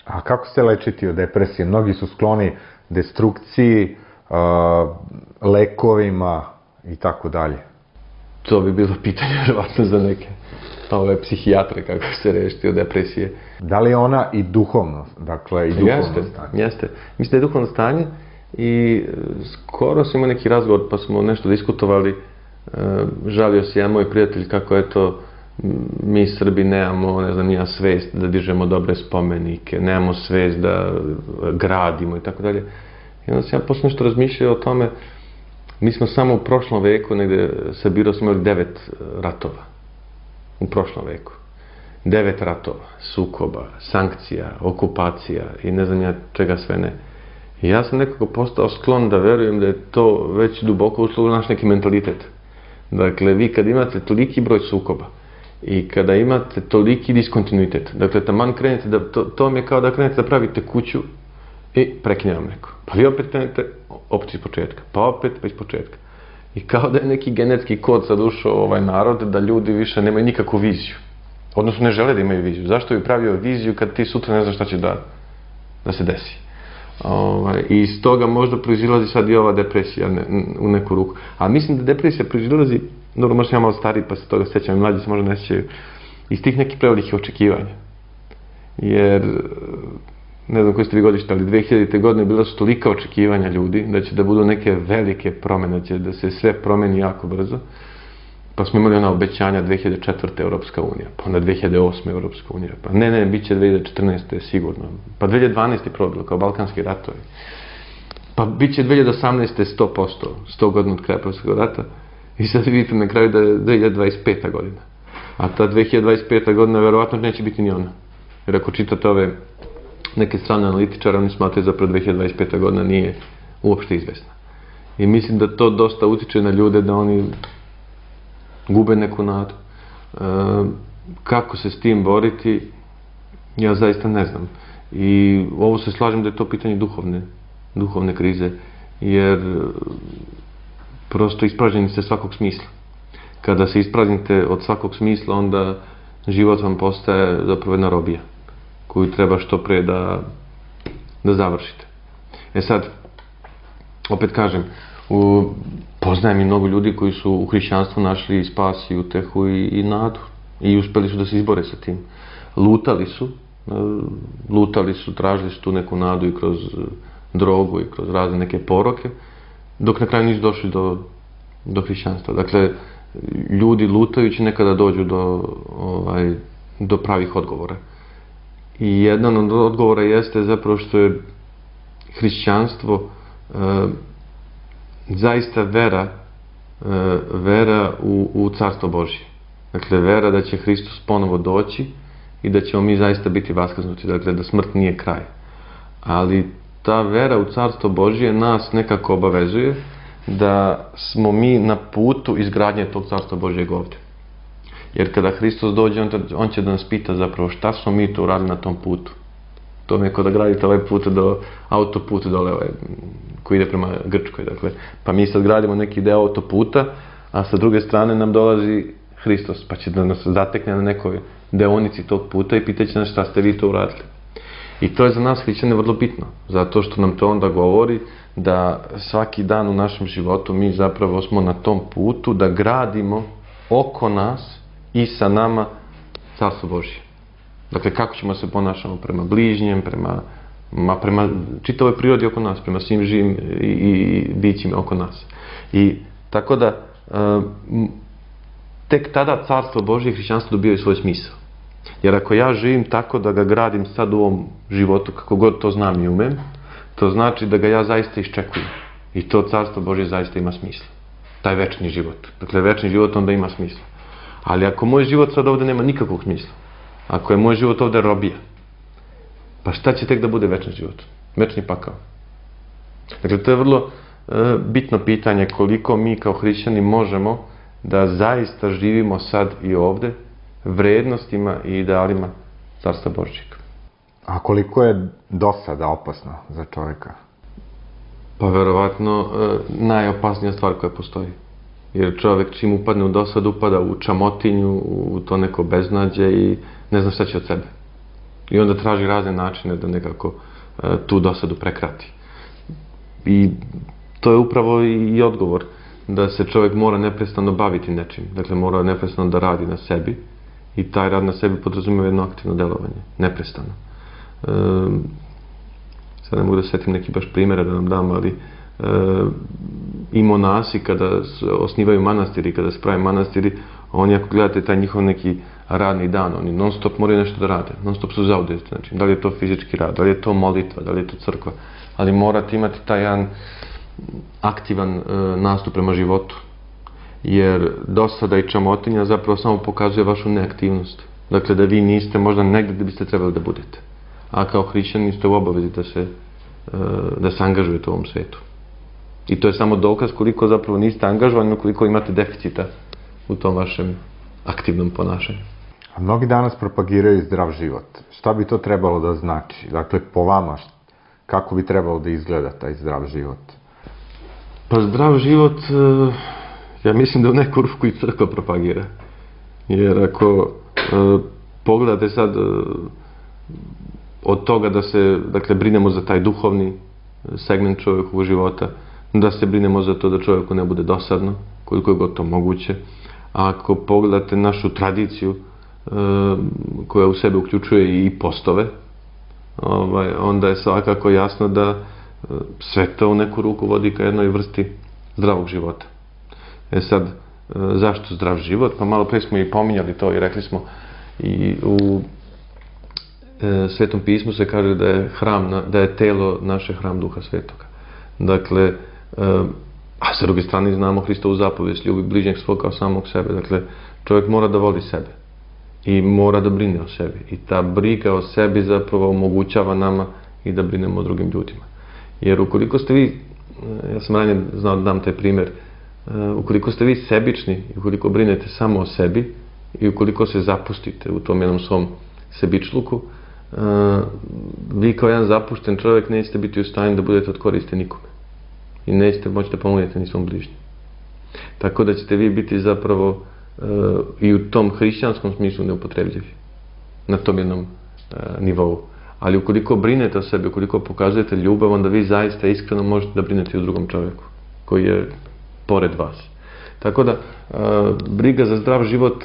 Speaker 2: A kako se lečiti od depresije? Mnogi su skloni destrukciji, lekovima i tako dalje.
Speaker 3: To bi bilo pitanje vjerovatno za neke psihijatre kako se rešiti od depresije.
Speaker 2: Da li je ona i duhovno? Dakle, i duhovno stanje?
Speaker 3: Jeste. Mislim da je duhovno stanje i skoro sam imao neki razgovor pa smo nešto diskutovali. Žalio se jedan moj prijatelj kako eto mi Srbi nemamo, ne znam, nija svest da dižemo dobre spomenike, nemamo svest da gradimo i tako dalje. I onda sam ja posle nešto razmišljao o tome. Mi smo samo u prošlom veku, negde sabirao smo imali 9 ratova. U prošlom veku. 9 ratova, sukoba, sankcija, okupacija i ne znam ja čega sve ne. I ja sam nekako postao sklon da verujem da je to već duboko ušlo u naš neki mentalitet. Dakle, vi kad imate toliki broj sukoba i kada imate toliki diskontinuitet, dakle, taman krenete da, to vam je kao da krenete da pravite kuću i prekine vam neko. Pa vi opet krenete, opet iz početka, pa opet, pa iz početka. I kao da je neki genetski kod sad ušao ovaj narod, da ljudi više nemaju nikakvu viziju. Odnosno ne žele da imaju viziju. Zašto bi pravio viziju kad ti sutra ne znaš šta će da se desi? I iz toga možda proizilazi sad i ova depresija u neku ruku. A mislim da depresija proizilazi, dobro, možda ja malo stariji pa se toga sećam, i mlađi se možda ne sećaju, iz tih nekih prevelikih očekivanja. Jer, ne znam koji ste vi godište, ali 2000. godine bila su tolika očekivanja ljudi da će da budu neke velike promene, da se sve promeni jako brzo. Pa smo imali ona obećanja 2004. Europska unija, pa onda 2008. Europska unija, pa ne, bit će 2014. sigurno, pa 2012. probilo kao Balkanski ratovi, pa bit će 2018. 100%, 100 godina od kraja Prvog rata i sad vidite na kraju da je 2025. godina. A ta 2025. godina verovatno neće biti ni ona. Jer ako čitate ove neke strane analitičara, oni smatraju zapravo 2025. godina nije uopšte izvesna. I mislim da to dosta utiče na ljude da oni gube neku nadu. Kako se s tim boriti, ja zaista ne znam. I ovo se slažem da je to pitanje duhovne krize, jer prosto ispražnjeni ste svakog smisla. Kada se ispraznite od svakog smisla, onda život vam postaje zapravo jedna robija, koju treba što pre da završite. E sad, opet kažem, poznajem i mnogo ljudi koji su u hrišćanstvu našli spas i utehu i nadu i uspeli su da se izbore sa tim. Lutali su, tražili su tu neku nadu i kroz drogu i kroz razne neke poroke, dok na kraju nisu došli do hrišćanstva. Dakle, ljudi lutajući nekada dođu do pravih odgovora. I jedan od odgovora jeste zapravo što je hrišćanstvo zaista vera u Carstvo Božje. Dakle, vera da će Hristos ponovo doći i da ćemo mi zaista biti vaskrsnuti, dakle, da smrt nije kraj. Ali ta vera u Carstvo Božje nas nekako obavezuje da smo mi na putu izgradnje tog Carstva Božjeg ovdje. Jer kada Hristos dođe, on će da nas pita zapravo šta smo mi to uradili na tom putu. To mi je kao da gradite ovaj put autoput dole koji ide prema Grčkoj. Dakle, pa mi sad gradimo neki deo autoputa, a sa druge strane nam dolazi Hristos, pa će da nas zatekne na nekoj deonici tog puta i pitaće nas šta ste vi to uradili. I to je za nas hrišćane vrlo bitno, zato što nam to onda govori da svaki dan u našem životu mi zapravo smo na tom putu da gradimo oko nas i sa nama Carstvo Božje. Dakle, kako ćemo se ponašamo prema bližnjem, prema čitavoj prirodi oko nas, prema svim živim i bićima oko nas. I tako da tek tada Carstvo Božje i hrišćanstvo dobijaju svoj smisao. Jer ako ja živim tako da ga gradim sad u ovom životu, kako god to znam i umem, to znači da ga ja zaista iščekujem. I to Carstvo Božje zaista ima smisla. Taj večni život. Dakle, večni život onda ima smisla. Ali ako moj život sad ovde nema nikakvog smisla, ako je moj život ovde robija, pa šta će tek da bude večni život? Večni pakao. Dakle, to je vrlo bitno pitanje koliko mi kao hrišćani možemo da zaista živimo sad i ovde vrednostima i idealima Carstva Božjeg.
Speaker 2: A koliko je dosada opasno za čovjeka?
Speaker 3: Pa verovatno najopasnija stvar koja postoji. Jer čovjek čim upadne u dosadu, upada u čamotinju, u to neko beznađe i ne zna šta će od sebe. I onda traži razne načine da nekako tu dosadu prekrati. I to je upravo i odgovor, da se čovjek mora neprestano baviti nečim. Dakle, mora neprestano da radi na sebi i taj rad na sebi podrazumijeva jedno aktivno delovanje, neprestano. Sad ne mogu da setim neki baš primjere da nam dam, ali i monasi kada osnivaju manastiri, kada se prave manastiri, oni ako gledate taj njihov neki radni dan, oni non stop moraju nešto da rade, non stop su zauzeti, znači da li je to fizički rad, da li je to molitva, da li je to crkva, ali morate imati taj jedan aktivan nastup prema životu, jer dosada i čamotinja zapravo samo pokazuje vašu neaktivnost, dakle da vi niste možda negdje gdje biste trebali da budete, a kao hrišćani ste u obavezi da se angažujete u ovom svetu. I to je samo dokaz koliko zapravo niste angažovani, koliko imate deficita u tom vašem aktivnom ponašanju.
Speaker 2: A mnogi danas propagiraju zdrav život. Šta bi to trebalo da znači? Dakle, po vama, kako bi trebalo da izgleda taj zdrav život?
Speaker 3: Pa zdrav život, ja mislim da u neku ruku i crkva propagira. Jer ako pogledate sad od toga da se, dakle, brinemo za taj duhovni segment čovjekovog života, da se brinemo za to da čovjeku ne bude dosadno, koliko je god to moguće. A ako pogledate našu tradiciju, koja u sebe uključuje i postove, onda je svakako jasno da sve to u neku ruku vodi ka jednoj vrsti zdravog života. Sad, zašto zdrav život? Pa malo prije smo i pominjali to i rekli smo i u Svetom pismu se kaže da je telo naše hram Duha Svetoga. Dakle, a sa druge strane znamo Hristovu zapovijest, ljubi bližnjeg svog kao samog sebe. Dakle, čovjek mora da voli sebe i mora da brine o sebi. I ta briga o sebi zapravo omogućava nama i da brinemo o drugim ljudima. Jer ukoliko ste vi, ja sam ranije znao da dam taj primjer, ukoliko ste vi sebični i ukoliko brinete samo o sebi i ukoliko se zapustite u tom jednom svom sebičluku, vi kao jedan zapušten čovjek nećete biti u stanju da budete od koriste nikome. I nećete moći da pomognete ni svom bližnjem. Tako da ćete vi biti zapravo i u tom hrišćanskom smislu neupotrebljivi. Na tom jednom nivou. Ali ukoliko brinete o sebi, ukoliko pokazujete ljubav, onda vi zaista iskreno možete da brinete i o drugom čovjeku koji je pored vas. Tako da, briga za zdrav život,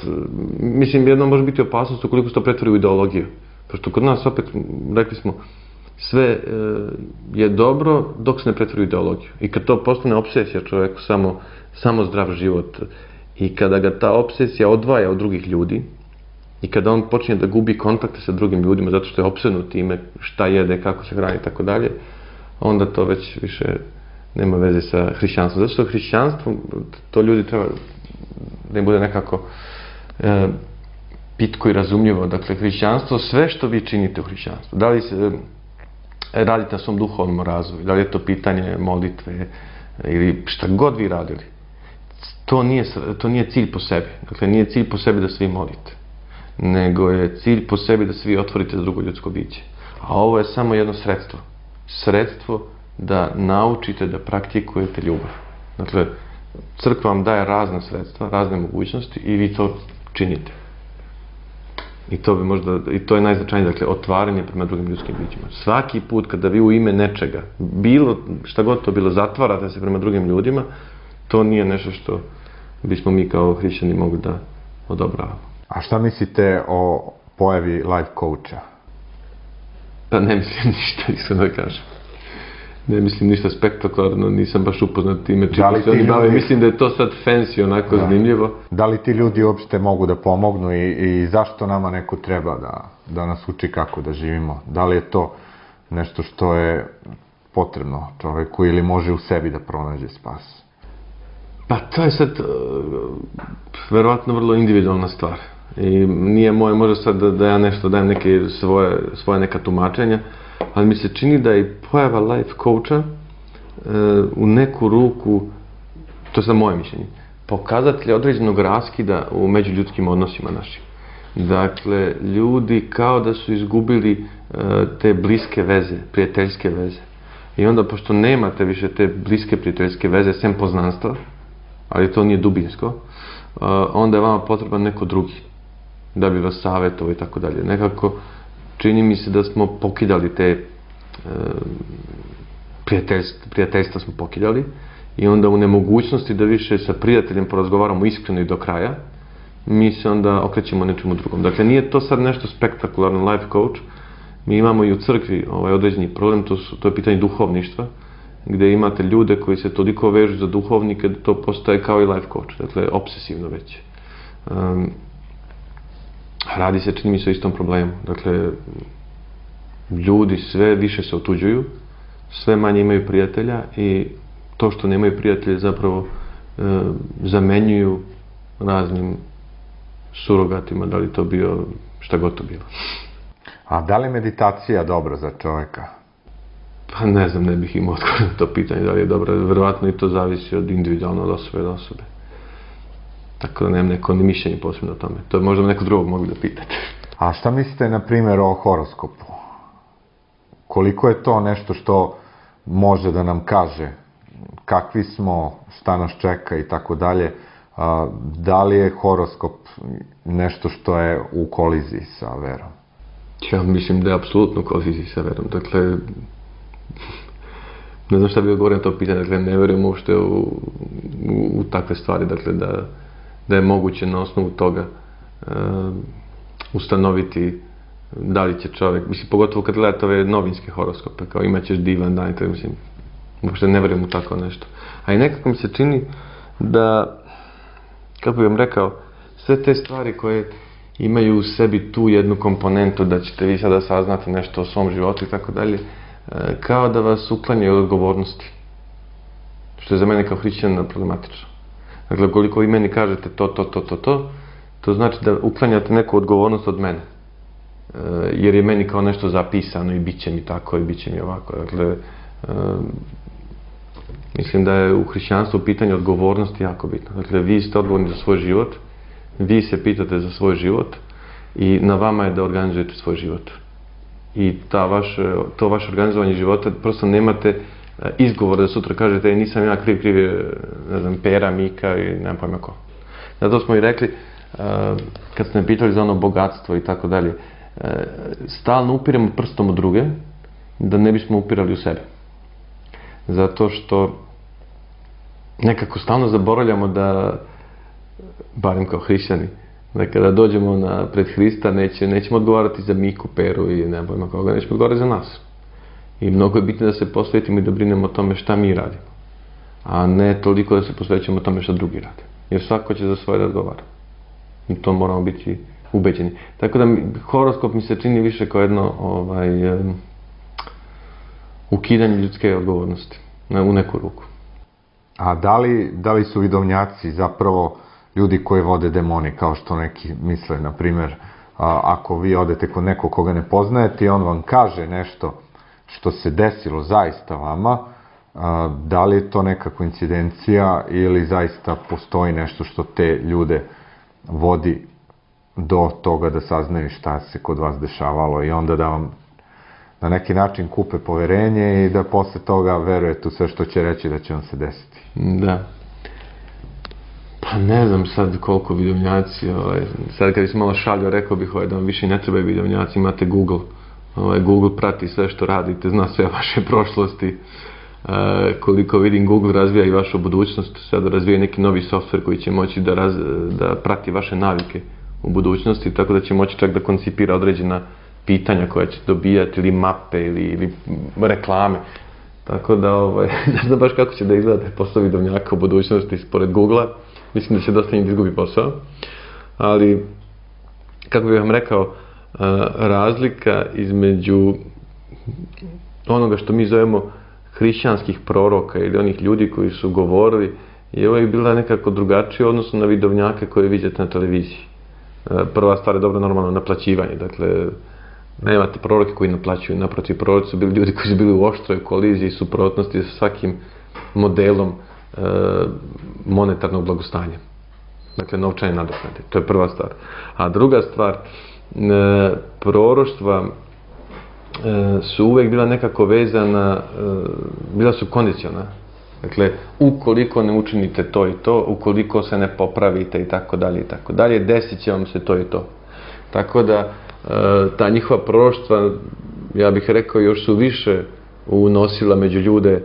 Speaker 3: mislim, jedno može biti opasnost ukoliko se to pretvori u ideologiju. Pošto kod nas opet, rekli smo, sve je dobro dok se ne pretvori u ideologiju. I kad to postane obsesija čovjeku, samo zdrav život, i kada ga ta obsesija odvaja od drugih ljudi, i kada on počinje da gubi kontakte sa drugim ljudima zato što je opsednut time šta jede, kako se hrani i tako dalje, onda to već više nema veze sa hrišćanstvom. Zato što hrišćanstvo, to ljudi treba da im bude nekako pitko i razumljivo. Dakle, hrišćanstvo, sve što vi činite u hrišćanstvu, da li se radite na svom duhovnom razvoju, da li je to pitanje molitve ili šta god vi radili, to nije cilj po sebi. Dakle, nije cilj po sebi da se vi molite, nego je cilj po sebi da se vi otvorite za drugo ljudsko biće. A ovo je samo jedno sredstvo. Sredstvo da naučite da praktikujete ljubav. Dakle, crkva vam daje razna sredstva, razne mogućnosti i vi to činite. I to je najznačajnije, dakle, otvaranje prema drugim ljudskim bićima. Svaki put kada vi u ime nečega, šta god to bilo, zatvarate se prema drugim ljudima, to nije nešto što bismo mi kao hrišćani mogli da odobravamo.
Speaker 2: A šta mislite o pojavi life coacha?
Speaker 3: Pa ne mislim ništa, iskreno da kažem. Ne mislim ništa spektakularno, nisam baš upoznat time čime se oni bave. Mislim da je to sad fancy, onako zanimljivo.
Speaker 2: Da li ti ljudi uopšte mogu da pomognu i zašto nama neko treba da nas uči kako da živimo? Da li je to nešto što je potrebno čoveku ili može u sebi da pronađe spas?
Speaker 3: Pa to je sad verovatno vrlo individualna stvar. I nije moje možda sad da ja nešto dajem neke svoje neka tumačenja, ali mi se čini da je pojava life coacha u neku ruku, to je sad moje mišljenje, pokazatelj određenog raskida u međuljudskim odnosima našim. Dakle, ljudi kao da su izgubili te bliske veze, prijateljske veze. I onda, pošto nemate više te bliske prijateljske veze, sem poznanstva, ali to nije dubinsko, onda je vama potreban neko drugi da bi vas savjetovao i tako dalje. Nekako čini mi se da smo pokidali te prijateljstva smo pokidali i onda u nemogućnosti da više sa prijateljem porazgovaramo iskreno i do kraja, mi se onda okrećemo nečemu drugom. Dakle, nije to sad nešto spektakularno life coach. Mi imamo i u crkvi određeni problem, to je pitanje duhovništva, gdje imate ljude koji se toliko vežu za duhovnike da to postaje kao i life coach, dakle, obsesivno već. Radi se, čini mi se, o istom problemu. Dakle, ljudi sve više se otuđuju, sve manje imaju prijatelja i to što nemaju prijatelje zapravo zamenjuju raznim surogatima, da li to bio, šta god to bilo.
Speaker 2: A da li meditacija dobra za čovjeka?
Speaker 3: Pa ne znam, ne bih imao odgovor na to pitanje da li je dobra. Verovatno i to zavisi od individualno, od osobe do osobe. Tako da nemam neko ni mišljenje posebno o tome. To je možda neko drugog mogli da pitate.
Speaker 2: A šta mislite, na primjer, o horoskopu? Koliko je to nešto što može da nam kaže kakvi smo, šta nas čeka i tako dalje? Da li je horoskop nešto što je u koliziji sa verom?
Speaker 3: Ja mislim da je apsolutno u koliziji sa verom. Dakle, ne znam šta bih odgovorio na to pitanje. Dakle, ne verujem uopšte u takve stvari. Dakle, da je moguće na osnovu toga ustanoviti da li će čovjek, mislim, pogotovo kad gledate ove novinske horoskope, kao imaćeš divan dan, tako mislim, uopšte ne verujem u tako nešto. A i nekako mi se čini da, kako bih vam rekao, sve te stvari koje imaju u sebi tu jednu komponentu da ćete vi sada saznati nešto o svom životu i tako dalje, kao da vas uklanjaju od odgovornosti. Što je za mene kao hrišćanina problematično. Dakle, koliko vi meni kažete to znači da uklanjate neku odgovornost od mene. Jer je meni kao nešto zapisano i bit će mi tako i bit će mi ovako. Dakle, mislim da je u hrišćanstvu pitanje odgovornosti jako bitno. Dakle, vi ste odgovorni za svoj život, vi se pitate za svoj život i na vama je da organizujete svoj život. I to vaše organizovanje života, prosto nemate izgovor da sutra kažete nisam ja kriv je, ne znam, Pera, Mika i nemam pojma ko. Zato smo i rekli, kad ste me pitali za ono bogatstvo i tako dalje, stalno upiremo prstom u druge, da ne bismo upirali u sebe. Zato što nekako stalno zaboravljamo da, barem kao hrišćani, da kada dođemo pred Hrista nećemo odgovarati za Miku, Peru i ne pojma koga, nećemo odgovarati za nas. I mnogo je bitno da se posvetimo i da brinemo o tome šta mi radimo, a ne toliko da se posvećujemo o tome šta drugi rade. Jer svako će za svoje da odgovara. I to moramo biti ubeđeni. Tako da horoskop mi se čini više kao jedno ukidanje ljudske odgovornosti u neku ruku.
Speaker 2: A da li su vidovnjaci zapravo ljudi koji vode demoni, kao što neki misle, na primjer, ako vi odete kod nekog koga ne poznajete i on vam kaže nešto što se desilo zaista vama, da li je to neka koincidencija ili zaista postoji nešto što te ljude vodi do toga da saznaju šta se kod vas dešavalo i onda da vam na neki način kupe poverenje i da posle toga verujete u sve što će reći da će vam se desiti.
Speaker 3: Da. Pa ne znam sad koliko vidovnjaci, sad kad sam malo šalio rekao bih da vam više ne trebaju vidovnjaci, imate Google. Google prati sve što radite, zna sve o vaše prošlosti. Koliko vidim, Google razvija i vašu budućnost, sada razvija neki novi softver koji će moći da prati vaše navike u budućnosti, tako da će moći čak da koncipira određena pitanja koja će dobijati, ili mape, ili reklame. Tako da, ne znam baš kako će da izgleda posao vidovnjaka u budućnosti pored Google-a. Mislim da će dosta njih izgubi posao. Ali, kako bih vam rekao, razlika između onoga što mi zovemo hrišćanskih proroka ili onih ljudi koji su govorili je uvijek bila nekako drugačija odnosno na vidovnjake koje vidite na televiziji. Prva stvar je dobro normalno naplaćivanje, dakle nemate proroke koji naplaćuju, naprotiv, proroci su bili ljudi koji su bili u oštroj koliziji, suprotnosti sa svakim modelom monetarnog blagostanja. Dakle, novčane nadoknade. To je prva stvar. A druga stvar, proroštva su uvek bila nekako vezana, bila su kondiciona. Dakle, ukoliko ne učinite to i to, ukoliko se ne popravite i tako dalje, desit će vam se to i to. Tako da, ta njihova proroštva, ja bih rekao, još su više unosila među ljude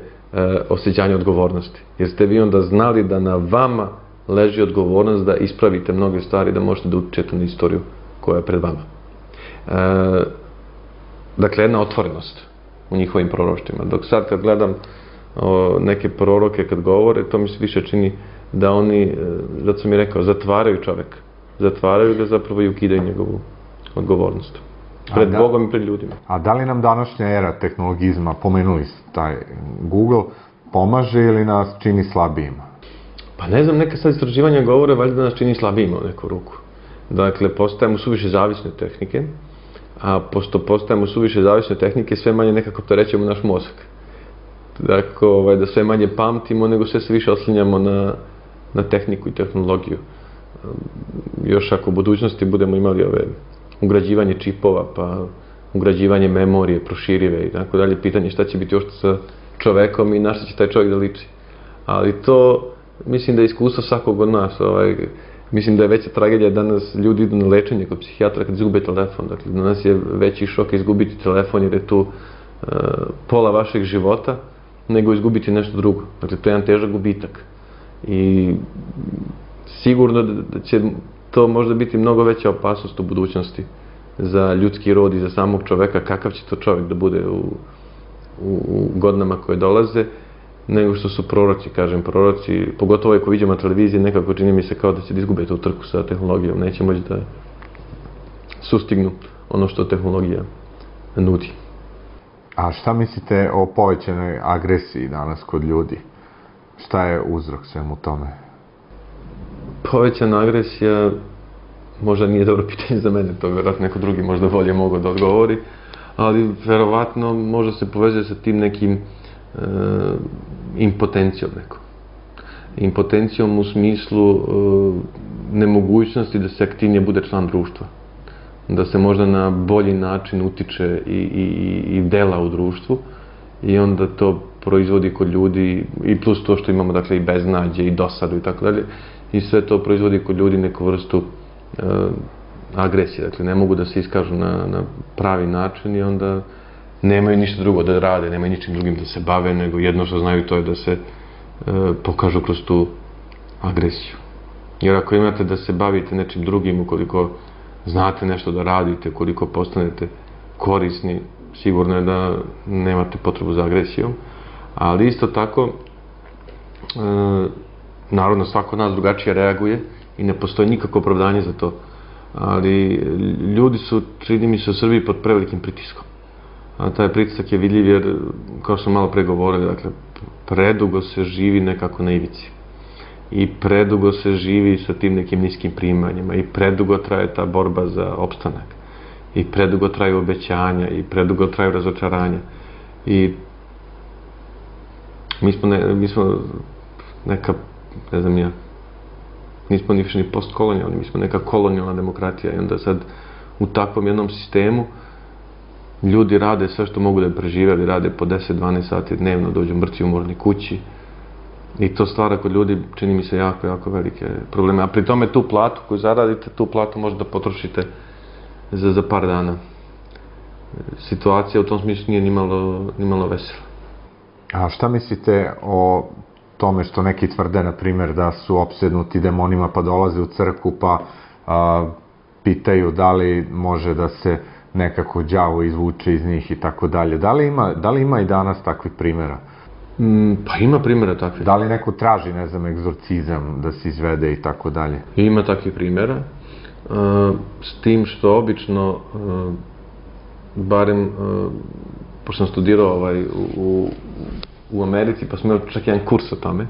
Speaker 3: osjećanje odgovornosti. Jer ste vi onda znali da na vama leži odgovornost da ispravite mnoge stvari, da možete da utičete na istoriju koja je pred vama. Dakle, jedna otvorenost u njihovim proroštvima. Dok sad kad gledam neke proroke kad govore, to mi se više čini da oni, zato sam i rekao, zatvaraju čoveka. Zatvaraju ga zapravo i ukidaju njegovu odgovornost. Pred Bogom i pred ljudima.
Speaker 2: A da li nam današnja era tehnologizma, pomenuli taj Google, pomaže ili nas čini slabijima?
Speaker 3: Pa ne znam, neka sad istraživanja govore valjda da nas čini slabijima u neku ruku. Dakle, postajemo suviše zavisni od tehnike, a pošto postajemo suviše zavisni od tehnike, sve manje nekako opterećujemo naš mozak. Dakle, da sve manje pamtimo, nego sve se više oslanjamo na tehniku i tehnologiju. Još ako u budućnosti budemo imali ugrađivanje čipova, pa ugrađivanje memorije, proširive i tako dalje, pitanje šta će biti još sa čovekom i na šta će taj čovjek da liči. Ali to, mislim da je iskustvo svakog od nas. Mislim da je veća tragedija danas ljudi idu na lečenje kod psihijatra kad izgube telefon. Dakle, danas je veći šok izgubiti telefon jer je tu pola vašeg života nego izgubiti nešto drugo. Dakle, to je jedan težak gubitak. I sigurno da će to možda biti mnogo veća opasnost u budućnosti za ljudski rod i za samog čoveka, kakav će to čovjek da bude u godinama koje dolaze, nego što su proroci, kažem, proroci, pogotovo ako vidimo na televiziji, nekako čini mi se kao da će da izgube tu trku sa tehnologijom, neće moći da sustignu ono što tehnologija nudi.
Speaker 2: A šta mislite o povećanoj agresiji danas kod ljudi? Šta je uzrok svemu tome?
Speaker 3: Povećana agresija možda nije dobro pitanje za mene, to vjerojatno neko drugi možda bolje mogu da odgovori, ali verovatno možda se povezuje sa tim nekim impotencijom nekom. Impotencijom u smislu nemogućnosti da se aktivnije bude član društva. Da se možda na bolji način utiče i dela u društvu i onda to proizvodi kod ljudi i plus to što imamo dakle i beznađe i dosadu i tako dalje i sve to proizvodi kod ljudi neku vrstu agresije. Dakle, ne mogu da se iskažu na pravi način i onda nemaju ništa drugo da rade, nemaju ničim drugim da se bave, nego jedno što znaju to je da se pokažu kroz tu agresiju. Jer ako imate da se bavite nečim drugim, ukoliko znate nešto da radite, ukoliko postanete korisni, sigurno je da nemate potrebu za agresijom. Ali isto tako, naravno svako od nas drugačije reaguje i ne postoji nikakvo opravdanje za to. Ali ljudi su, čini mi se, u Srbiji pod prevelikim pritiskom. A taj pritisak je vidljiv jer, kao što sam malo pre govorio, dakle, predugo se živi nekako na ivici. I predugo se živi sa tim nekim niskim primanjima i predugo traje ta borba za opstanak. I predugo traju obećanja i predugo traju razočaranja. I mi smo neka, ne znam ja, nismo više ni postkolonijalni, mi smo neka kolonijalna demokratija i onda sad u takvom jednom sistemu ljudi rade sve što mogu da je prežive, ali rade po 10-12 sati dnevno, dođu mrtvi umorni kući i to stvara kod ljudi, čini mi se, jako, jako velike probleme. A pri tome tu platu koju zaradite, tu platu možda potrošite za par dana. Situacija u tom smislu nije nimalo vesela.
Speaker 2: A šta mislite o tome što neki tvrde, na primjer, da su opsednuti demonima pa dolaze u crkvu pa pitaju da li može da se nekako đavo izvuče iz njih i tako dalje. Da li ima i danas takvih primjera?
Speaker 3: Pa ima primjera takvih.
Speaker 2: Da li neko traži, ne znam, egzorcizam da se izvede i tako dalje?
Speaker 3: Ima takvih primjera. S tim što obično, barem, pošto sam studirao u Americi, pa sam imao čak jedan kurs o tome,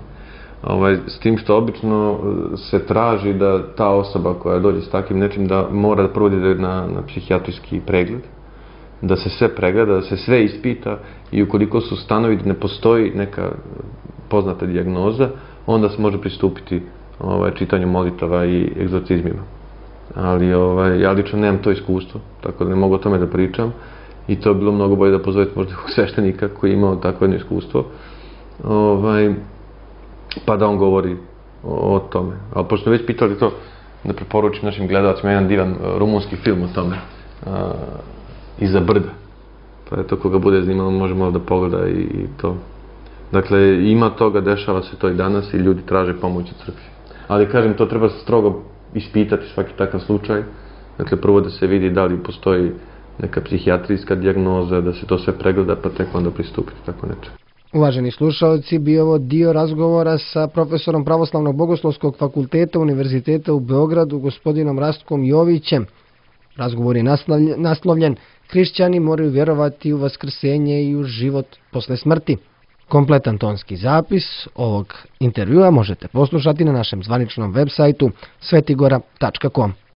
Speaker 3: s tim što obično se traži da ta osoba koja dođe s takvim nečim da mora da prvo ide na psihijatrijski pregled, da se sve pregleda, da se sve ispita i ukoliko su stanovi da ne postoji neka poznata dijagnoza, onda se može pristupiti čitanju molitava i egzorcizmima. Ali ja lično nemam to iskustvo, tako da ne mogu o tome da pričam i to je bilo mnogo bolje da pozovete možda sveštenika koji je imao takvo jedno iskustvo, pa da on govori o tome. Ali pošto već pitali to, da preporučim našim gledalacima jedan divan rumunski film o tome, Iza brda. Pa eto, koga bude zanimalo, može malo da pogleda i to. Dakle, ima toga, dešava se to i danas i ljudi traže pomoć u crkvi. Ali, kažem, to treba strogo ispitati svaki takav slučaj. Dakle, prvo da se vidi da li postoji neka psihijatrijska dijagnoza, da se to sve pregleda, pa tek onda pristupiti tako nečem.
Speaker 1: Uvaženi slušalci, bio ovo dio razgovora sa profesorom Pravoslavnog bogoslovskog fakulteta Univerziteta u Beogradu, gospodinom Rastkom Jovićem. Razgovor je naslovljen Hrišćani moraju vjerovati u vaskrsenje i u život posle smrti. Kompletan tonski zapis ovog intervjua možete poslušati na našem zvaničnom web sajtu svetigora.com.